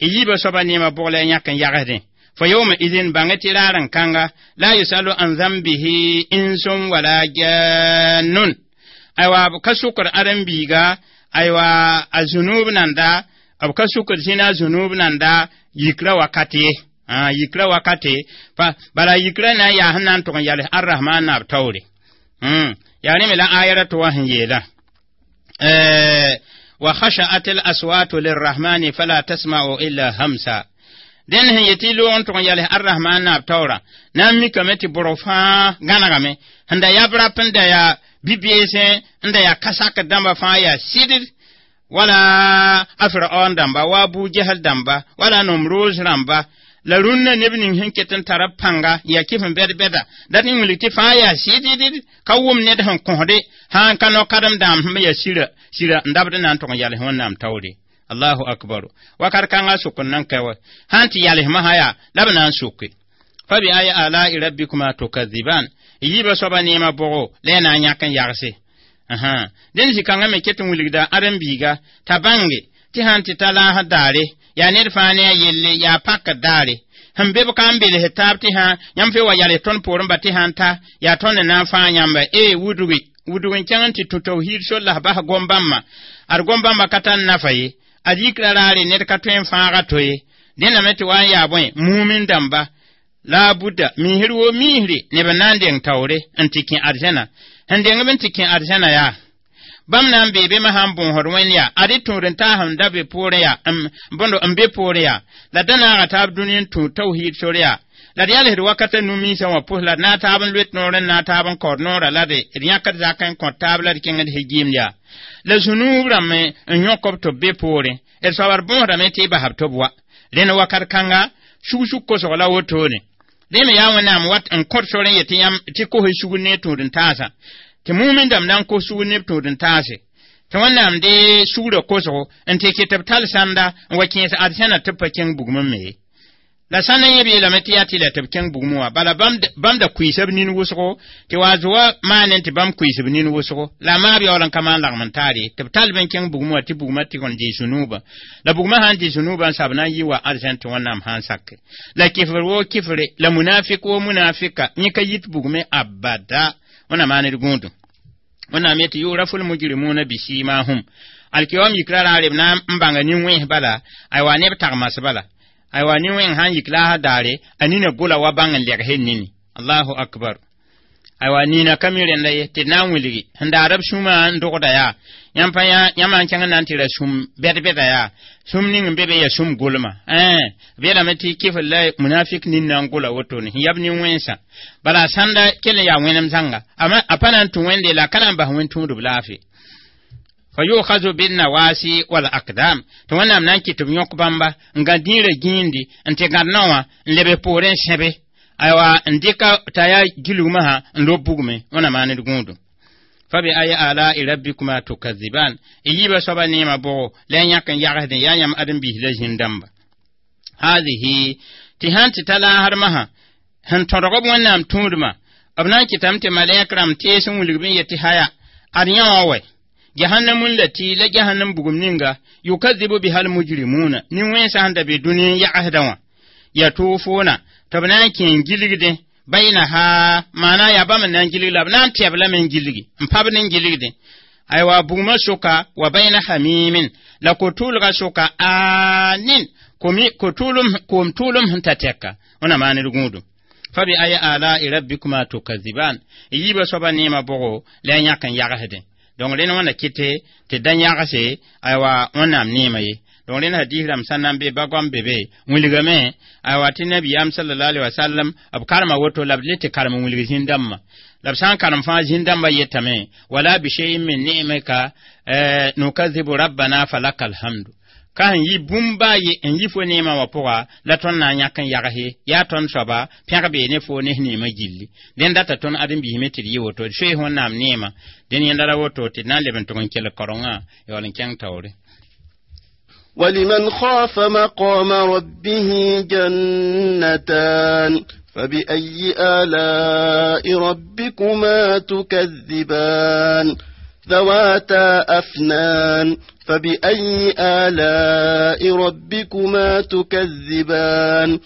y yiibã soaba neemã bʋg la y yãk n yagsdẽ. Fa yawma idin, bãngẽ tɩ raar n kãnga, la yusalu an zambihi insun wala jannun, aywa b ka sʋkr ãdem-biiga, aywa a zũnuub nanda, b ka sʋkr zĩna a zũnuub nanda yikra wakat ye, yikra wakate pa bala yikra na n yaa sẽn na n tʋg n yals Arrahman naab taoore. Yaa rẽ me la aya ra tɩ wa sẽn yeelã: wa khasha'at al aswatu lirrahmani fala tasma'u illa hamsa. Dẽnd sẽn yetɩ loog n tʋg n yals Arrahman naab taoorã na n mikame tɩ bʋrg fãa gãnegame sẽn da yab rap n da yaa bi-beesẽ n da yaa ka-sakr dãmba fãa yaa sɩdd, wala a Firaon dãmba, wa Abu Jahal dãmba, wala Nomroos rãmba, la rũnnã neb ning sẽn ket n tara pãnga n yaa kɩf n bɛd-bɛda dat n wilg tɩ fãa yaa sɩddd ka wʋm ned sẽn kõsde sã n ka no-kadem dãam sẽn yaa sira sira n dabd n na n tʋg n yals Wẽnnaam taoore. Allahu akbar, wakat kãngã sʋk n nan ka wa sãn tɩ yalsmã sã yaa la b na n soke. Fa bi ayi alai rabbikuma tukaziban, y yiibã soaba neemã bʋgo la y na n yãk n yagse. Dẽnd zĩ-kãngã me ket n wilgda ãdem-biiga t'a bãnge tɩ sãn tɩ ta laasd daare yaa ned fãa ne a yelle yaa pakd daare sẽn be b ka n bels taab tɩ sã yãmb fe wa yals tõnd poorẽ ba tɩ sã n ta yaa tõnd n na n fãag yãmba e wudgi wudg n kẽng n tɩ tũ tawhiid sol la bas gom-bãmbã ad gom-bãmbã ka tar nafa ye, ad yikra raare ned ka tõe n fãaga to ye. Dẽname tɩ wa n yaa bõe mumin dãmba la buda miisr wo miisre neb n na n deng taoore n tɩ kẽ arzãna sẽn deng b n tɩ kẽ arzãna yaa bãmb na n bee be sã n bõosd wẽnd yaa ad y tũud n taas n da be poorẽ yaa bõndo n be poorẽ yaa la da naaga taab dũni n tũ tawhiid sor yaa la d yalsd wakata nu-minsã wã pʋs la d na taab n loet noor n na taab n kaood noorã la d yãkd zak n kõt taab la d kẽngd hegiimd yaa la zũnuub rãmb n yõk b tɩ b be poorẽ d soabd bõosdame tɩ y basb tɩ b wa rẽnd wakat kãnga sug-sug kosg la wotone. Dẽ me yaa Wẽnnaam wat n kõt sor n yet tɩ yãmb tɩ kos y sugr ne tũud n taasã tɩ mumin dãmb na n kos sugr ne b tũud n taase tɩ Wẽnnaam dee sugrã kosgo n tɩ kɩt b tall sãnda n wa kẽes arzãna tɩ b pa kẽng bugmẽ me ye. La sãn n yẽ b yeelame tɩ yaa tɩ la tɩ b kẽng bugmẽ wã bala bãmb da kuiisa b nin wʋsgo tɩ wa zoa maane tɩ bãmb kuiis b nin wʋsgo la maab yaool n ka maan lagem n taar ye tɩ b tall b n kẽng bugmẽ wã tɩ bugmã tɩg n dɩ zũnuubã la bugmã sã n dɩ zũnuubã n sab na n yi wa arzãn tɩ Wẽnnaam sã n sake la kɩfr woo kɩfre la munafik woo munafika yẽ ka yit bugmẽ abada. Wẽnnaam maan d gũudum. Wẽnnaam yetɩ yurafu lmujrimuna bisimahum alkiyom yikra raare b na n bãnga nin-wẽns bala aywa neb tagmas bala aywa nin-wẽng sãn yik laasã daare a nina gola wa bãng n legs nini. Allahu akbar, aywa nina ka mi rẽnda ye tɩ d na n wilgi sẽn daar b sũmã n dogda yaa yãmb pa yãmb n kẽng n na n tɩ ra sũm bɛd-bɛda yaa sũm ning n be be yaa sũm golma b yeelame tɩ kɩfr la munafik nin na n gola wotone sẽn yab nin-wẽnsã bala sãnda kell n yaa wẽnem zãnga a pa na n tũ wẽnde la a ka na n bas wẽn tũudb laafɩ. Fa yu'khadhu bin-nawasi wal aqdam, tɩ Wẽnnaam na n kɩt b yõk bãmba n gã dĩirã gĩindi n tɩ gãd nao wã n leb poorẽ n sẽbe aywa n dɩka t'a yaa gilgmã sã n lob bugmẽ. Wẽnnaam maan d gũudum. Fa bi ayi alai rabbikuma tukaziban, y yiibã soaba neemã bʋgo la y yãk n yagsdẽ yaa yãmb ãdem-biis la zĩn-dãmba. Haadihi tɩ sãn tɩ ta laasdmã sã sẽn tõdg b Wẽnnaam tũudmã b na n kɩtame tɩ malɛk rãmb tees n wilg b n yet tɩ haya ad yã wã wɛ jahannamun lati la jahannam bugum ninga yukadzibu biha almujrimuna nin-wẽnsã sẽn da be dũni n yagsdã wã yatufuna tɩ b na n kẽ n gilgdẽ bainaha maana yaa bãmb n na n gilg la b na n tɛb lame n gilgi n pabd n gilgdẽ aywa bugmã sʋka wa baina hamimin la ko-tʋʋlgã sʋka aanin Ko koom tʋʋlem sẽn ta tɛka wẽna maaned gũudum. Fa bi ayi ala'i rabbikuma tukaziban, yiibã soaba neemã bʋgo la a yãk n yagsdẽ. Donc rẽnd wãna kɩte tɩ da yagse aywa Wẽnnaam neemã ye. Donc rẽnd hadis rãmb sã na n be ba-goam be be wilgame aywa tɩ nabiyaam sallallahu alaihi wasallam b karema woto la b le tɩ karem n wilg zĩn-dãmbã la b sã n karem fãa zĩn-dãmbã yetame wala bi shay'in min ni'mika nukazibu rabbana falaka alhamdu. Ka sẽn yi bũmb baa ye n yi fo neemã wã pʋga la tõnd na n yãk n yagse yaa tõnd soaba pẽg bee ne fo ne f neemã gilli. Dẽn data tõnd ãdem-biisme tɩ d yɩ woto d soees Wẽnnaam neemã. Dẽn yẽnda ra woto tɩ d na n leb n tʋg n kelg kaorengã yaool n kẽng taoore. ولمن خاف مقام ربه جنتان فبأي آلاء ربكما تكذبان ذواتا أفنان فبأي آلاء ربكما تكذبان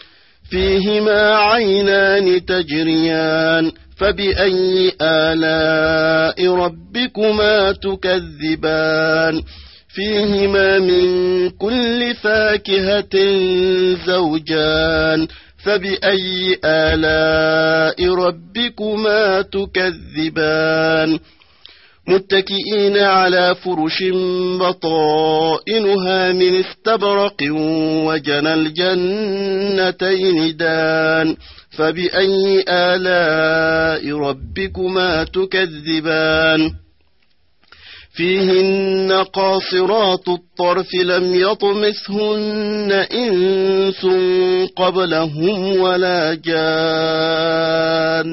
فيهما عينان تجريان فبأي آلاء ربكما تكذبان فيهما من كل فاكهة زوجان فبأي آلاء ربكما تكذبان متكئين على فرش بطائنها من استبرق وجنى الجنتين دان فبأي آلاء ربكما تكذبان فيهن قاصرات الطرف لم يطمثهن إنس قبلهم ولا جان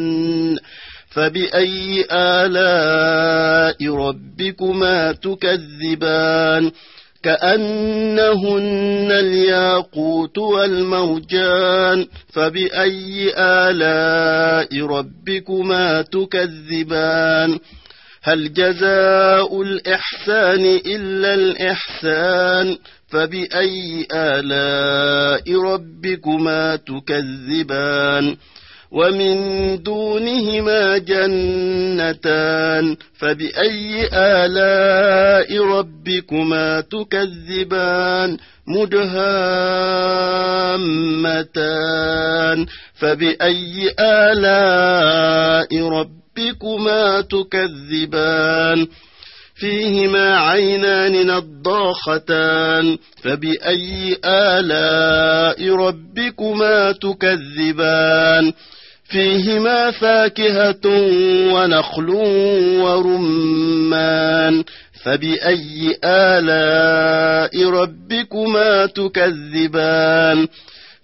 فبأي آلاء ربكما تكذبان كأنهن الياقوت والمرجان فبأي آلاء ربكما تكذبان هل جزاء الإحسان إلا الإحسان فبأي آلاء ربكما تكذبان ومن دونهما جنتان فبأي آلاء ربكما تكذبان مدهامتان فبأي آلاء ربكما تكذبان فيهما عينان نضاختان فبأي آلاء ربكما تكذبان فيهما فاكهة ونخل ورمان فبأي آلاء ربكما تكذبان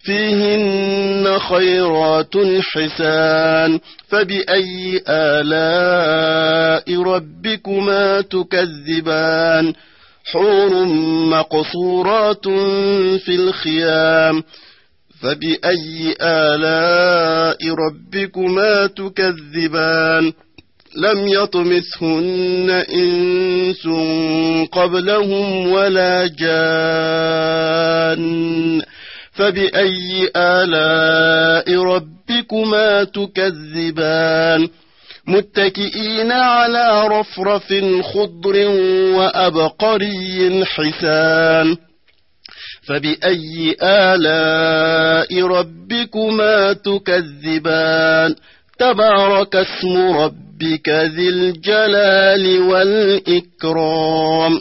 فيهن خيرات حسان فبأي آلاء ربكما تكذبان حور مقصورات في الخيام فبأي آلاء ربكما تكذبان لم يطمثهن إنس قبلهم ولا جان فبأي آلاء ربكما تكذبان متكئين على رفرف خضر وأبقري حسان فبأي آلاء ربكما تكذبان تبارك اسم ربك ذي الجلال والإكرام.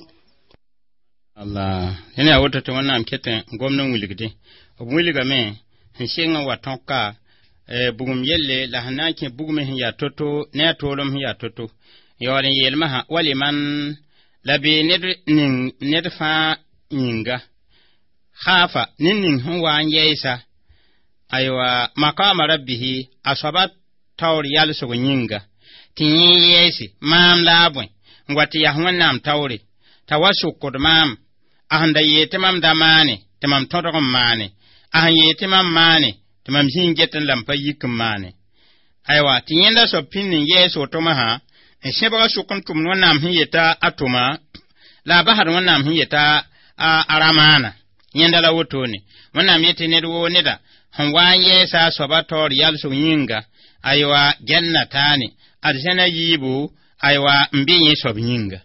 Allah yẽne yaa woto tɩ Wẽnnaam ket n gomd n wilgdẽ. B wilgame sẽn sɩng n wa tõka bugum yelle la sẽn na n kẽ bugme sẽn yaa to-to ne a toolem sẽn yaa to-to. Yaool n yeelmã sã waliman la bee ned ning ned fãa yĩnga khaafa ned ning sẽn wa n yɛɛsa aywa maqama rabbihi a soaba taoor yalsg yĩnga tɩ yẽ yɛɛse maam la a bõe n wa tɩ yaa Wẽnnaam taoore t'a wa sʋkd maam a sẽn da yeel tɩ mam da maane tɩ mam tõdg n maane a sẽn yeel tɩ mam maane tɩ mam zĩ n get n la m pa yik n maane aywa tɩ yẽnda soab pĩnd n yɛɛs wotoma sã n sẽbga sʋk n tʋmd Wẽnnaam sẽn yeta a tʋma la a basd Wẽnnaam sẽn yeta a ra maana yẽnda la wotone. Wẽnnaam yetɩ ned woo neda sẽn wa n yɛɛsa a soaba taoor yalsg yĩnga aywa jannataane arzãna yiibu aywa n be yẽ soab yĩnga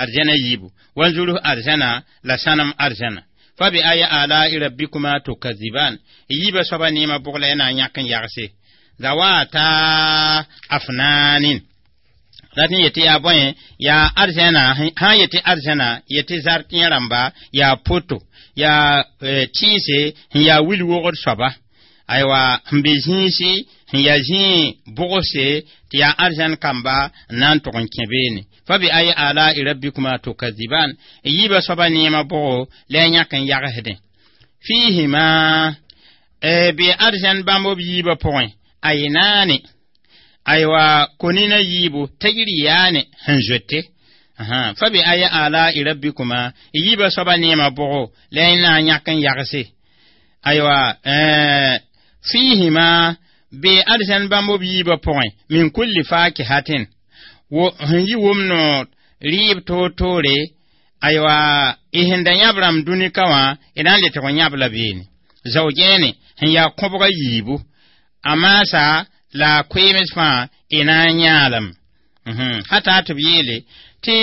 arzãna yiibu wanzurus arzãna la sãnem arzãna Fa bi ayi ala'i rabbikuma tukaziban. Yiba soaba neema bʋg la y na n yãk n yagse. Zawata afnanin. Rat n yetɩ yaa bõe yaa arzɛna sã n yetɩ arzɛna yetɩ zar tẽ rãmba yaa poto yaa tɩɩse sẽn yaa wil-wogd soaba aywa sẽn be zĩisi sẽn yaa zĩig bʋgse tɩ yaa arzɛn kamba n na n tʋg n kẽ beene. Fa bi ayi ala'i rabbikuma tukaziban. Yiibã soaba neemã bʋgo la y yãk n yagsdẽ. Fiihima bɩ arzɛn bãmb b yiibã pʋgẽ aynaane aywa konina yiibu tajriyaane sẽn zoete. Fa bi ayi ala'i rabbikuma yiibã soaba neemã bʋgo la y na n yãk n yagse. Aywa fiihima bɩ arzɛn bãmb b yiibã pʋgẽ min kulli fakihatin wo sẽn yi wʋm noor rɩɩb toor-toore aywa y sẽn da yãb rãmb dũnika wã y na n le tɩg n yãb la beene. Zao-gẽene sẽn yaa kõbga yiibu a maasa la koeems fãa y na n yãalem. Hata tɩ b yeele tɩ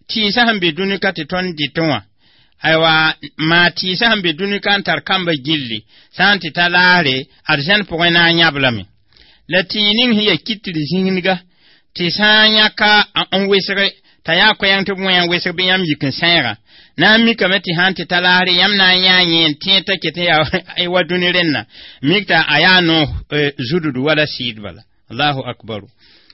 tɩɩsã sẽn be dũnika tɩ tõnd dɩtẽ wã aywa maa tɩɩsã sẽn be dũnika n tar kamba gilli sã n tɩ ta laasre arzɛn pʋgẽ na n yãb lame. La tɩɩ ning sẽn yaa kitr zĩnga tɩ sã n yãka n wesge t'a yaa koɛɛng tɩ b wẽ n wesg bɩ yãmb yik n sãeega na n mikame tɩ sã n tɩ ta laasre yãmb na n yãa yẽ n tẽed t'a ket n yaa wa dũni rẽnna mik t'a a yaa no zudud wala sɩɩd bala. Allahu akbaru.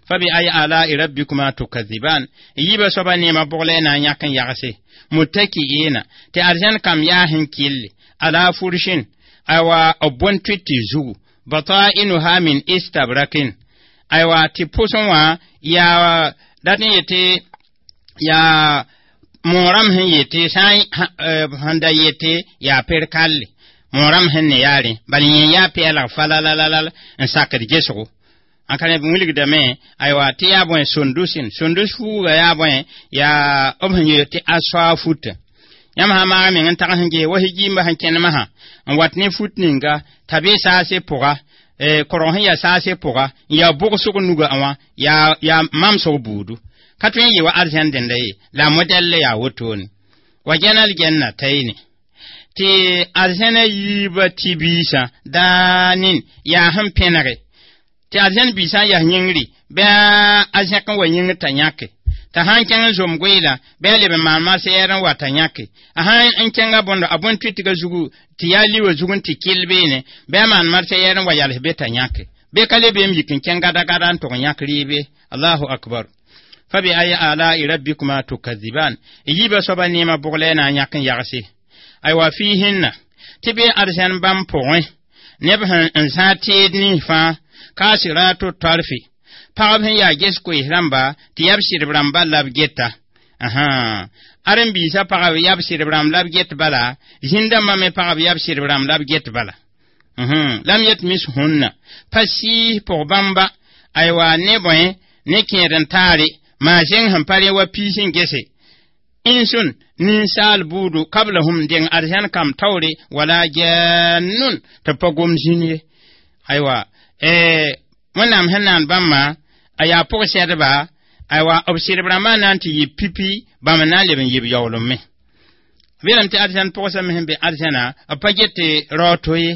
Fa bi ayi ala'i rabbikuma tukaziban. Yiibã soaba neemã bʋg la y na n yãk n yagse. Muttaki'ina tɩ arzɛn kam yaa sẽn kɩlle ala furshin aywa b bõn-tʋɩtɩ zugu bata'inuha min istabrakin aywa tɩ pʋsẽ wã yaa dat n yetɩ yaa moorãm sẽn yetɩ sã sẽn da yetɩ yaa per-kalle moorãm sẽn ne yaarẽ bala yẽ yaa pɛɛlg falalalal n sakd gesgo. N ka neb wilgdame aywa tɩ yaa bõe sondusin sondus fuuga yaa bõe yaa b sẽn yeel tɩ a soa futa. Yãmb sã maag meng n tag sẽn ges wa higiimba sẽn kẽnemsã n wat ne fut ninga t'a be saase pʋga korg sẽn yaa saase pʋga n yaa bʋgsg nuga wã yaa mamsg buudu. Ka tõe n yɩ wa arzɛn dẽnda ye la modɛl yaa wotone. Wa gɛnal gɛnna tayne tɩ arzɛnã yiibã tɩ biisã daanin yaa sẽn pẽnege tɩ arzɛn biisã n yas yĩngri bɩ a zẽk n wa yĩngr t'a yãke t'a sã n kẽng n zom goeela bɩ a leb n maan marsɛɛr n wa t'a yãke a sã n kẽnga bõndo a bõn-tʋɩtga zugu tɩ yaa liwã zug n tɩ kɩl beene bɩ a maan marsɛɛr n wa yals be t'a yãke bɩ ka le beem yik n kẽng gada-gada n tʋg n yãk rɩɩbe. Allahu akbar. Fa bi ayi ala'i rabbikuma tukaziban. Yiibã soaba neemã bʋg la y na n yãk n yagse. Aywa fiihinna tɩ bɩ arzɛn bãmb pʋgẽ neb sẽn n zãag teed nins fãa kasiratu tarfi pagb sẽn yaa ges koees rãmba tɩ yab sɩdb rãmba la b geta. Ãren-biisã pagb yab sɩdb rãmb la b get bala zĩn-dãmbã me pagb yab sɩdb rãmb la b get bala. Lam yet mis hũnna pa sɩɩs pʋg bãmba aywa ne bõe ne kẽed n taare maa zẽng sẽn pa rẽ wa piis n gese insun ninsaal buudu kablahum deng arzɛn kam taoore wala jannun tɩ pa gom zĩn ye. Aywa Wẽnnaam sẽn naan bãmba a yaa pʋg-sɛdba aywa b sɩdb rãmbã na n tɩ yɩ pipi bãmb n na n leb n yɩ b yaoolem me. B yeelame tɩ arzɛn pʋgsã me sẽn be arzɛnã b pa get tɩ rao to ye.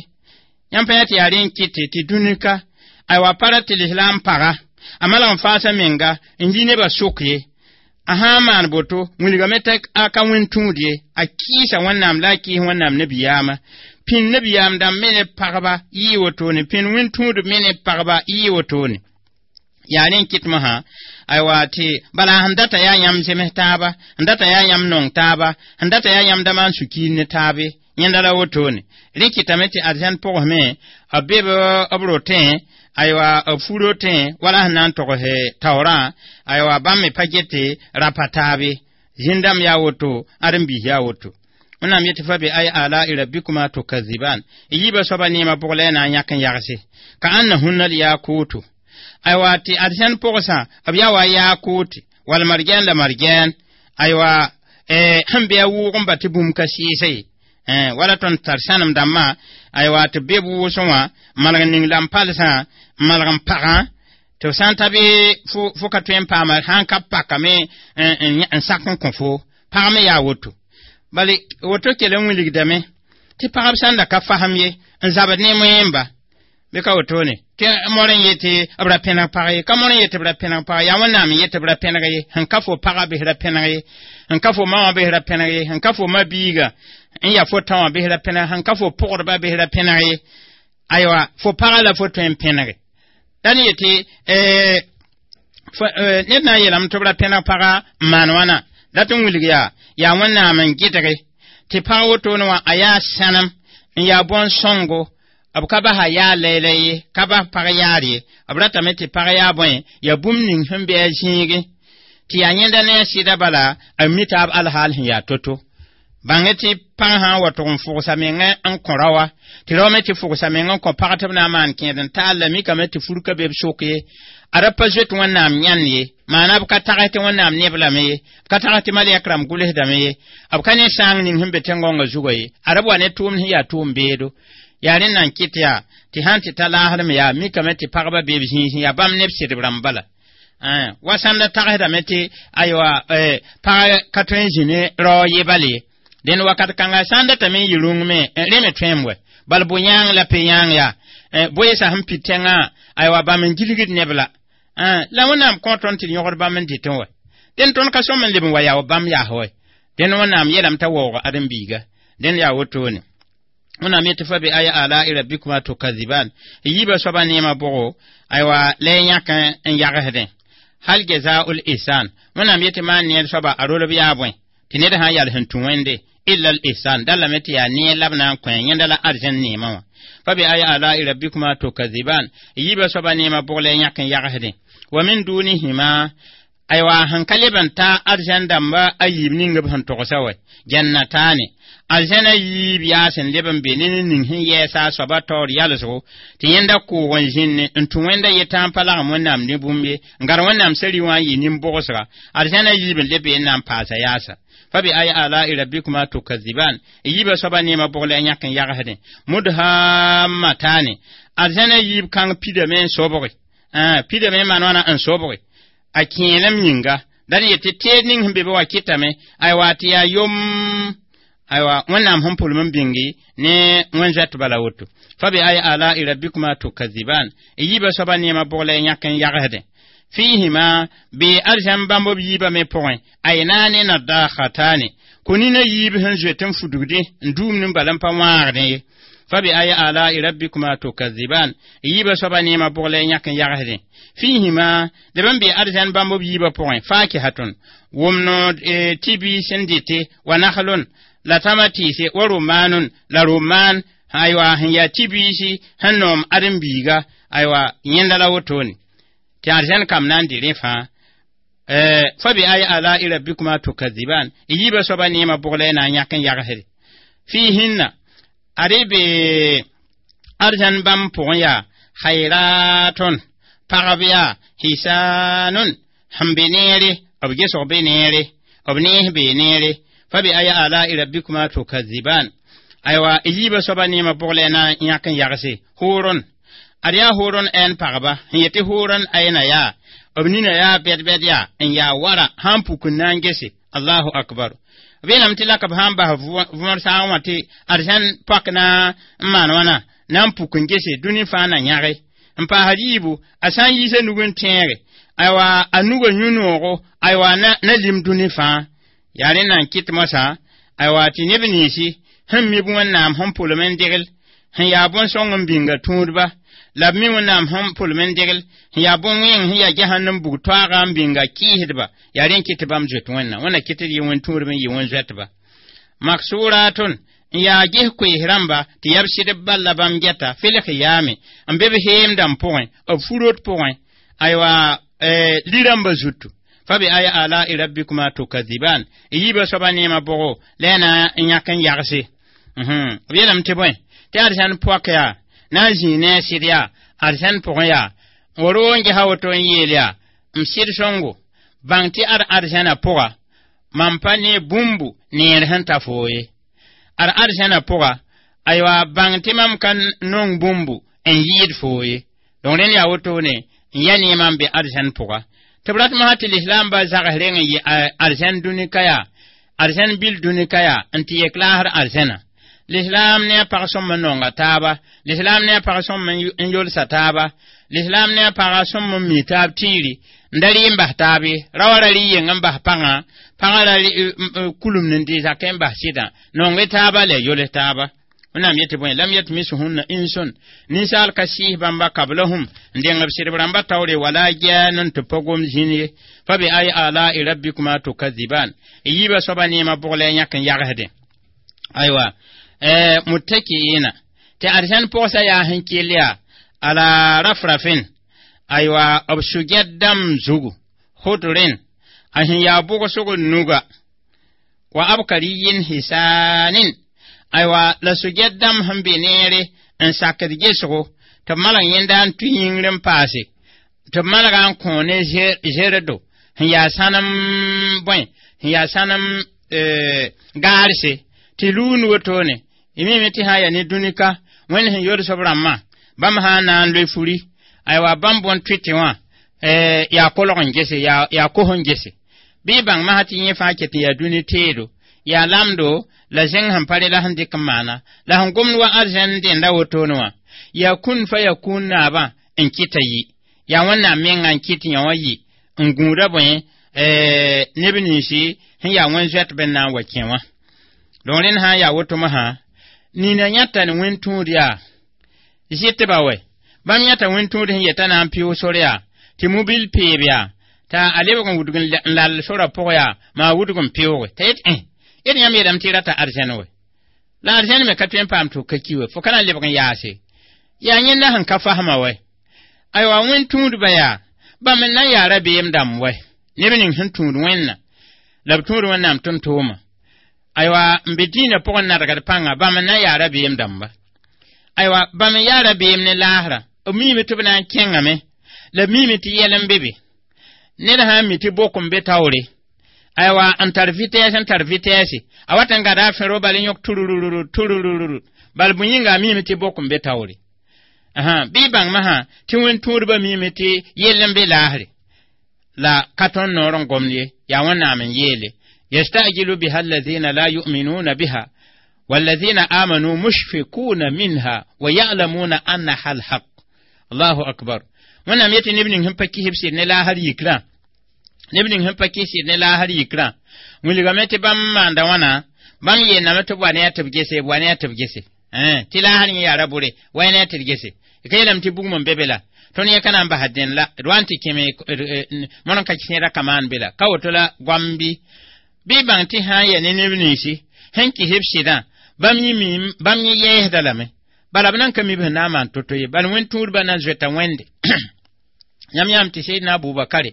Yãmb pa yã tɩ yaa rẽ n kɩte tɩ dũnika aywa pa ra tɩ lislaam paga a malg n faasa menga n yi nebã sʋk ye. A sã n maan boto wilgame t'a ka wẽn tũud ye a kɩɩsa Wẽnnaam la a kɩɩs Wẽnnaam nabiyaamã pĩn nabiyaam dãmb me ne pagba yɩɩ wotone pĩn wẽn tũud me ne pagba yɩɩ wotone. Yaa rẽ n kɩt mosã aywa tɩ bala sẽn data yaa yãmb zems taaba sẽn data yaa yãmb nong taaba sẽn data yaa yãmb da maan sũ-kiir ne taabe yẽnda la wotone. Rẽ kɩtame tɩ arzɛn pʋgsme b be b rotẽ aywa b fu rotẽ wala sẽn na n togs taoorã aywa bãmb me pa gete rapa taabe zĩn-dãmb yaa woto ãren-biis yaa woto. Wẽnnaam yetɩ fa bi ay ala'i rabbikuma tukaziban yiibã soaba neemã bʋg la y na n yãk n yagse ka annahunna l-yakuutu aywa tɩ arzɛn pʋgsã b yaa wa yakuuti wala margɛn la margɛn aywa sẽn be a wʋʋg n ba tɩ bũmb ka sɩɩsa ye wala tõnd tar sãnem dãmbã aywa tɩ be b wʋsẽ wã malg ning la n palsã n malg n pagã tɩ b sã n ta bɩ fo ka tõe n paama sã n ka pakame n sak n kõ fo pag me yaa woto. Bala woto kell n wilgdame tɩ pagb sãn da ka fasem ye n zabd ne moẽmba bɩ ka wotone tɩ mor n yetɩ b ra pẽneg pag ye ka mor n yetɩ b ra pẽneg pag yaa Wẽnnaam n yetɩ b ra pẽneg ye sẽn ka fo pagã bɩs ra pẽneg ye sẽn ka fo ma wã bɩs ra pẽneg ye sẽn ka fo ma biiga n yaa fo tã wã bɩs ra pẽneg sẽn ka fo pʋgdba bɩs ra pẽneg ye aywa fo pagã la fo tõe n pẽnege la ne yetɩ ned na n yeelame tɩ b ra pẽneg pagã n maan wãna dat n wilg yaa yaa Wẽnnaam n gɩdge tɩ pag wotone wã a yaa sãnem n yaa bõn-sõngo b ka basa yaa laylɛ ye ka bas pag yaar ye b ratame tɩ pag yaa bõe yaa bũmb ning sẽn bɩ a zĩige tɩ yaa yẽnda ne a sɩda bala a mi taab alhaal sẽn yaa to-to bãng tɩ pãng sã n wa tʋg n fʋgsa mengã n kõ raoã tɩ rao me tɩ fʋgsa meng n kõ pag tɩ b na n maan kẽed n taal la mikame tɩ fur ka be b sok ye a ra pa zoet Wẽnnaam yãnd ye maana b ka tags tɩ Wẽnnaam neb lame ye b ka tags tɩ malɛk rãmb gʋlsdame ye b ka ne sãang ning sẽn be tẽn-gõngã zugã ye a ra b wa ne tʋʋmd sẽn yaa tʋʋm beedo yaa rẽnd na n kɩt yaa tɩ sãn tɩ ta laasdme yaa mikame tɩ pagba be b zĩisẽ yaa bãmb neb sɩdb rãmb bala wa sãn da tagsdame tɩ aywa pag ka tõe n zĩ ne rao ye bal ye dẽnd wakat kãnga sã n datame n yɩ rũng me rẽ me tõem wɛ bal bʋ-yãang la pe-yãang yaa boeesa sẽn pid tẽngã aywa bãmb n gilgd neb la la Wẽnnaam kõ tõnd tɩ d yõgd bãmb n dɩtẽ wɛ dẽnd tõnd ka sõm n leb n wa yaa bãmb yaas wɛ dẽnd Wẽnnaam yeelame t'a waoog ãdem-biiga dẽnd yaa wotone Wẽnnaam yetɩ fa bi aya ala'i rabbikuma tukaziban yiibã soabã neemã bʋgo aywa la y yãk n yagsdẽ hal jazaa'ul ihsan Wẽnnaam yetɩ maan neer soaba a rolb yaa bõe tɩ ned sã n yal sẽn tũ Wẽnde illa al ihsan dallame tɩ yaa neer la b na n kõ yẽnda la arzẽn neemã wã fa bi aya ala'i rabbikuma tukaziban yiibã soabã neemã bʋg la y yãk n yagsdẽ wa min dunihima aywa sẽn ka leb n ta arzẽn dãmba a yiib ning b sẽn togsa wɛ jannatane arzẽna yiib yaa sẽn leb n be ne ning sẽn yɛɛsa a soaba taoor yalsgo tɩ yẽnda kʋʋg n zĩnne n tũ Wẽnda yetã n pa lagem Wẽnnaam ne bũmb ye n gar Wẽnnaam sari wã n yɩ nin-bogsga arzẽna yiib n leb be n na n paasa yaasa fa bi aya ala'i rabbikuma tukaziban yiibã soaba neemã bʋg la y yãk n yagsdẽ mudhammatane arzẽna yiib kãng pidame n sobge pidame n maan wãna n sobge a kẽelem yĩnga la d yetɩ teed ning sẽn be be wã kɩtame aywa tɩ yaa yom aywa Wẽnnaam sẽn pʋlem n bĩngi ne wẽn-zoɛt bala woto fa bi aya ala'i rabbikuma tukaziban yiibã soaba neemã bʋg la y yãk n yagsdẽ fihima bɩ arzãn bãmb b yiibã me pʋgẽ aynaane nadakhatane kõ-nina yiib sẽn zoet n fudgdẽ n duumd n bala n pa wãagdẽ ye fa bi aya ala'i rabbikuma tukaziban yiibã soaba neemã bʋg la y yãk n yagsdẽ fihima leb n bee arzãn bãmb b yiibã pʋgẽ fakihatun wʋmno tɩ biis n dɩte wa naklun la tama tɩɩse wa romanun la roman aywa sẽn yaa tɩ biisi sẽn noom ãdem-biiga aywa yẽnda la wotone tɩ arzãn kam na n dɩ rẽ fãa fa bi aya ala'i rabbikuma tukaziban yiibã soaba neemã bʋg la y na n yãk n yagsde fihinna ad be arzãn bãmb pʋgẽ yaa khayratun pagb yaa hisanun sẽn be neere b gesg be neere b nees bee neere fa bi aya ala'i rabbikuma tukaziban aywa yiibã soaba neemã bʋg la y na n yãk n yagse hʋʋrun ad yaa hʋʋrun ɛn pagba sẽn yetɩ hʋʋrun ayna yaa b nina yaa bɛd-bɛd yaa n yaa wara sãn puk n na n gese allahu akbar b yeelame tɩ laka b sã n bas võor saag wã tɩ arzãn pak na n maan wãna na n puk n gese dũni fãa na yãge n paasd yiibu a sã n yiisa nug n tẽege aywa a nugã yũ-noogo aywa na lim dũni fãa yaa rẽ na n kɩt moasã aywa tɩ neb ninsi sẽn mib Wẽnnaam sẽn pʋlem n degl sẽn yaa bõn-sõng n bĩnga tũudba la b mi Wẽnnaam sẽn pʋlem n degl sẽn yaa bõn-wẽng sẽn yaa jahannam bug toaaga n bĩnga kɩɩsdba yaa rẽ n kɩt tɩ bãmb zoet Wẽnnaam Wẽnna kɩt d yɩ wẽn-tũudb n yɩ wẽn-zoɛtba maksuratun n yaa ges koees rãmba tɩ yaa b sɩdb bal la bãmb gɛta fɩlg yaame n be b heemdãmb pʋgẽ b furot pʋgẽ aywa li-rãmbã zutu fa bi aya ala'i rabbikuma tukaziban yiibã soaba neemã bʋgo la y na n yãk n yagse b yeelame tɩ bõe tɩ arzãn poak yaa na n zĩig ne a sɩd yaa arzãn pʋgẽ yaa n wa n gesa woto n yeel yaa m sɩd sõngo bãng tɩ ad arzãna pʋga mam pa ne bũmbu neer sẽn ta foo ye ad arzãna pʋga aywa bãng tɩ mam ka nong bũmbu n yɩɩd foo ye donc rẽnd yaa wotone n ya neemã n be arzãn pʋga tɩ b rat mosã tɩ lislaambã zags reng n yɩ arzãn dũni ka yaa Arzɛn bil dũni ka yaa n tɩ yek laasr arzɛna. Lislaam ne a pag sõm n nonga taaba, lislaam ne a pag sõm n yolsa taaba, lislaam ne a pagã sõm n mi taab tiiri n da rɩ n bas taab ye. Ra wa ra rɩ yeng n bas pãngã, pãgã ra kulum n dɩ zakẽ n bas sɩdã. Nong-y taaba la yols taaba. Wẽnnaam yetɩ bõe lam yatmishunna insun ninsaal ka sɩɩs bãmba kablahum n dẽng b sɩdb rãmba taoore wala jaan n tɩ pa gom zĩn ye. Fa bi ay ala'i rabbikuma tukadziban y yiibã soaba neemã bʋg la y yãk n yagsdẽ. Aywa muttaki'ina tɩ arzãn pʋgsa yaa sẽn kell yaa ala rafrafin aywa b sugɛd dãmb zugu khudrin a sẽn yaa bʋgsg nuga wa abkariyin hisanin aywa la sugɛd dãmb sẽn be neere n sakd gesgo tɩ b malg yẽnda n tũ yĩngr n paase tɩ b malga n kõ ne zerdo sẽn yaa sãnem bõe sẽn yaa sãnem gaarse tɩ luun wotone y mime tɩ sã n yaa ne dũnika Wẽnd sẽn yols b rãmbã bãmb sã n na n loe furi aywa bãmb bõn tʋɩtɩ wã yaa kolg n gese yaa kos n gese bɩ y bãng masã tɩ yẽ fãa ket n yaa dũni teedo yaa lamdo la zẽng sẽn pa re la sẽn dɩk n maana la sẽn gomd wa arzɛn dẽnda wotone wã yaa kũn fa yaa kũun naabã n kɩta yi yaa Wẽnnaam menga n kɩt yã wã yi n gũuda bõe neb ninsi sẽn yaa wẽn zoɛtb n na n wa kẽ wã. Donc rẽnd sã n yaa woto masã nina yãta ne wẽn tũud yaa zɩtba wɛ bãmb yãta wẽn tũud sẽn yeta na n pɩʋ sor yaa tɩ mobil peeb yaa t'a a lebg n wudg n lall sorã pʋg yaa maa wudg n pɩʋʋge t'a yet yet yãmb yeelame tɩ y rata arzɛn wɛ la arzɛn me ka tõe n paam tɩ f ka ki wɛ fo ka na n lebg n yaase yaa yẽnda sẽn ka fasma wɛ aywa wẽn tũudba yaa bãmb n na n yaa rabeem dãmb wɛ neb ning sẽn tũud Wẽnna la b tũud Wẽnnaam tʋm-tʋʋma aywa n be dĩinã pʋgẽ nadgd pãnga bãmb n na n yaa rabeem dãmba aywa bãmb n yaa rabeem ne laasrã b miime tɩ b na n kẽngame la b miime tɩ yɛl n be be ned sã n mi tɩ bok n be taoore aywa n tar vitesse n tar vitesse a wat n gada a fẽro bal n yõk turururu turururu bal bõe yĩnga a miime tɩ bok n be taoore bɩ y bãng masã tɩ wẽn tũudbã miime tɩ yell n be laasre la ka tõnd noor n gomd ye yaa Wẽnnaam n yeele yastajilu biha alladhina la yu'minuna biha والذين آمنوا مشفقون منها ويعلمون أنها الحق الله أكبر Wẽnnaam yetɩ neb ning sẽn pa kis b sɩd ne laasr yikrã neb ning sẽn pa kis sɩd ne laasr yikrã wilgame tɩ bãmb maanda wãna bãmb yeelame tɩ b wa ne a tɩ b gese b wa ne a tɩ b gese tɩ laasr yẽ yaa ra bʋre wa ne a tɩ d gese ka yeelame tɩ bugum n be be la tõnd yẽ ka na n basa dẽn la d wa n tɩ kẽme mõr n ka kẽeda ka maan be la ka woto la goam bɩ bɩ bãng tɩ sã n yaa ne neb ninsi sẽn kis b sɩdã bãmb yẽ miim bãmb yẽ yɛɛsda lame bala b nan ka mi b sẽn na n maan to-to ye bala wẽn tũudbã na n zoeta Wẽnde yãmb yãmb tɩ Seydna Abubakare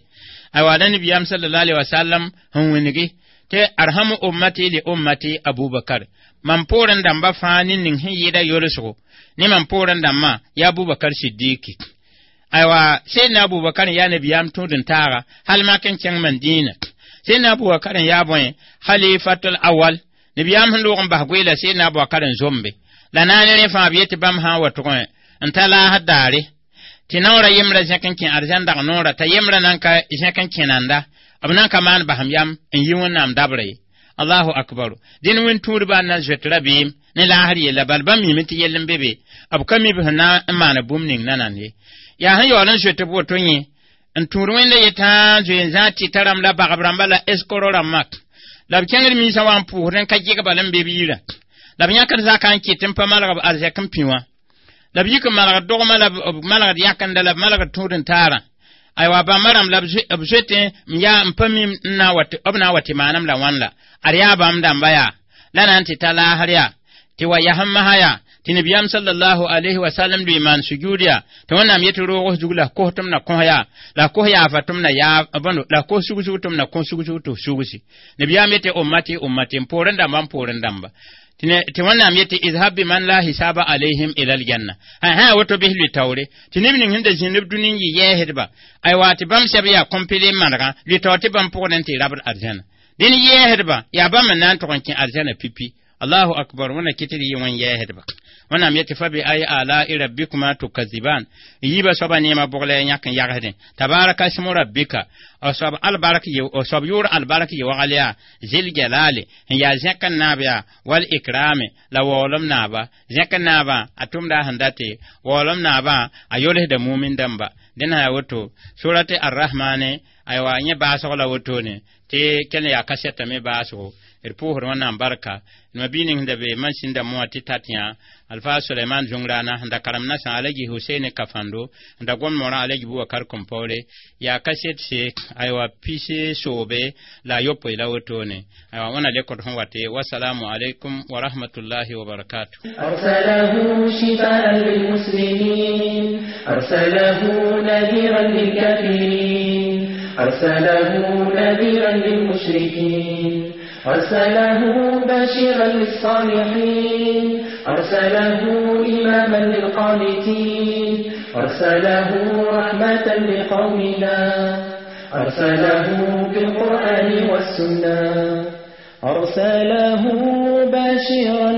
aywa la Nebiyaam sallallahu alaihi wasallam sẽn wĩngi tɩ arhamu ummati li ummati Abubakar mam poorẽ dãmba fãa ne ning sẽn yɩɩda yolsgo ne mam poorẽ dãmbã yaa Abubakar Sidiki aywa Seydna Abubakar n yaa Nebiyaam tũud n taaga hal mak n kẽng Mandina Seydna Abubakar n yaa bõe khalifatul awal Nebiyaam sẽn loog n bas goeela Seydna Abubakar n zombe la naane rẽ fãa b yetɩ bãmb sã n wa tʋgẽ n ta laasd daare tɩ naoora yembrã zẽk n kẽ arzãn dag noora t'a yembrã nan ka zẽk n kẽnanda b nan ka maan basem yam n yi Wẽnnaam dabra ye Allahu akbaru dẽn wẽn tũudbã n na n zoet rabeem ne laasr yella bal bãmb miime tɩ yell n be be b ka mi b sẽn na n maana bũmb ning nanand ye yaa sẽn yaool n zoet b woto yẽ n tũud Wẽnda yetã zoe n zã tɩta rãmb la bagb rãmba la eskoro rãmbã la b kẽngd minsã wa n pʋʋsd n ka geg bal n be b yirã la b yãkd zakã n kɩt n pa malg b arzɛk n pĩ wã la b yik n malgd dogmã la b malgd yakenda la b malgd tũud n taarã aywa bãmba rãmb la b zoetẽ n yaa n pa mi b na n wa tɩ maanem la wãn la ad yaa bãmb dãmba yaa la na n tɩ ta laasr yaa tɩ wa yasem masã yaa tɩ Nebiyaam sallallahu alayhi wa sallam lʋɩ maan sujuud yaa tɩ Wẽnnaam yetɩ roog zug la kos tɩ m na kõ yaa la kos yaafa tɩ m na yaa bõndo la kos sug-sug tɩ m na kõ sug-sug tɩ f sugsi Nebiyaam yetɩ ummati ummati n poorẽ dãmba n poorẽ dãmba tɩ Wẽnnaam yetɩ izhab biman la hisaba alayhim ila aljanna ha woto bɩs lʋɩ taoore tɩ neb ning sẽn da zĩnd b dũni n yɩ yɛɛsdba aywa tɩ bãmb sɛb yaa kõmpele n manegã lʋɩ taoor tɩ bãmb pʋgd n tɩ rabd arzãna dẽn yɛɛsdba yaa bãmb n na n tʋg n kẽ arzãna pipi. Allahu akbar wẽnna kɩt d yɩ wẽn yɛɛsdba wẽnnaam yetɩ fa bi ay ala'i rabbikuma tukaziban yiibã soabã neemã bʋg la ya yãk n yagsdẽ tabaraka smu rabbika a soab albark a soab yʋʋr albark yɩ wagal yaa zil jalali n yaa zẽk n naab yaa wal ikrame la waoolem naaba zẽk n naabã a tʋmda sẽn date waoolem naabã a yolsda mumin dãmba dẽn sã yaa woto surati arrahmane aywa yẽ baasg la wotone tɩ kell n yaa kasɛta me baasgo d pʋʋsd wẽnnaam barka ma bii ning da be masin da moa tɩ tat yã alfa suleiman zũngrana sẽn da karem nasã alaji huseini kafando n da gom morã alaji bubakar kõmpaoore yaa kaset se aywa pise soobe la a yopoe la wotone aywa wẽna lekd sẽn wate wasalamu alaikum wa rahmatullahi wa barakatuh. أرسله شفاء للمسلمين أرسله نذيرا للكافرين أرسله نذيرا للمشركين أرسله بشيرا للصالحين أرسله إماما للقانتين أرسله رحمة لقومنا أرسله بالقرآن والسنة أرسله بشيرا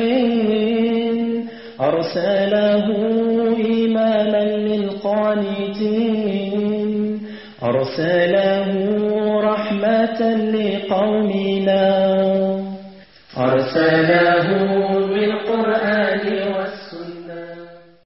للصالحين أرسله إماما للقانتين أرسله رحمة لقومنا أرسله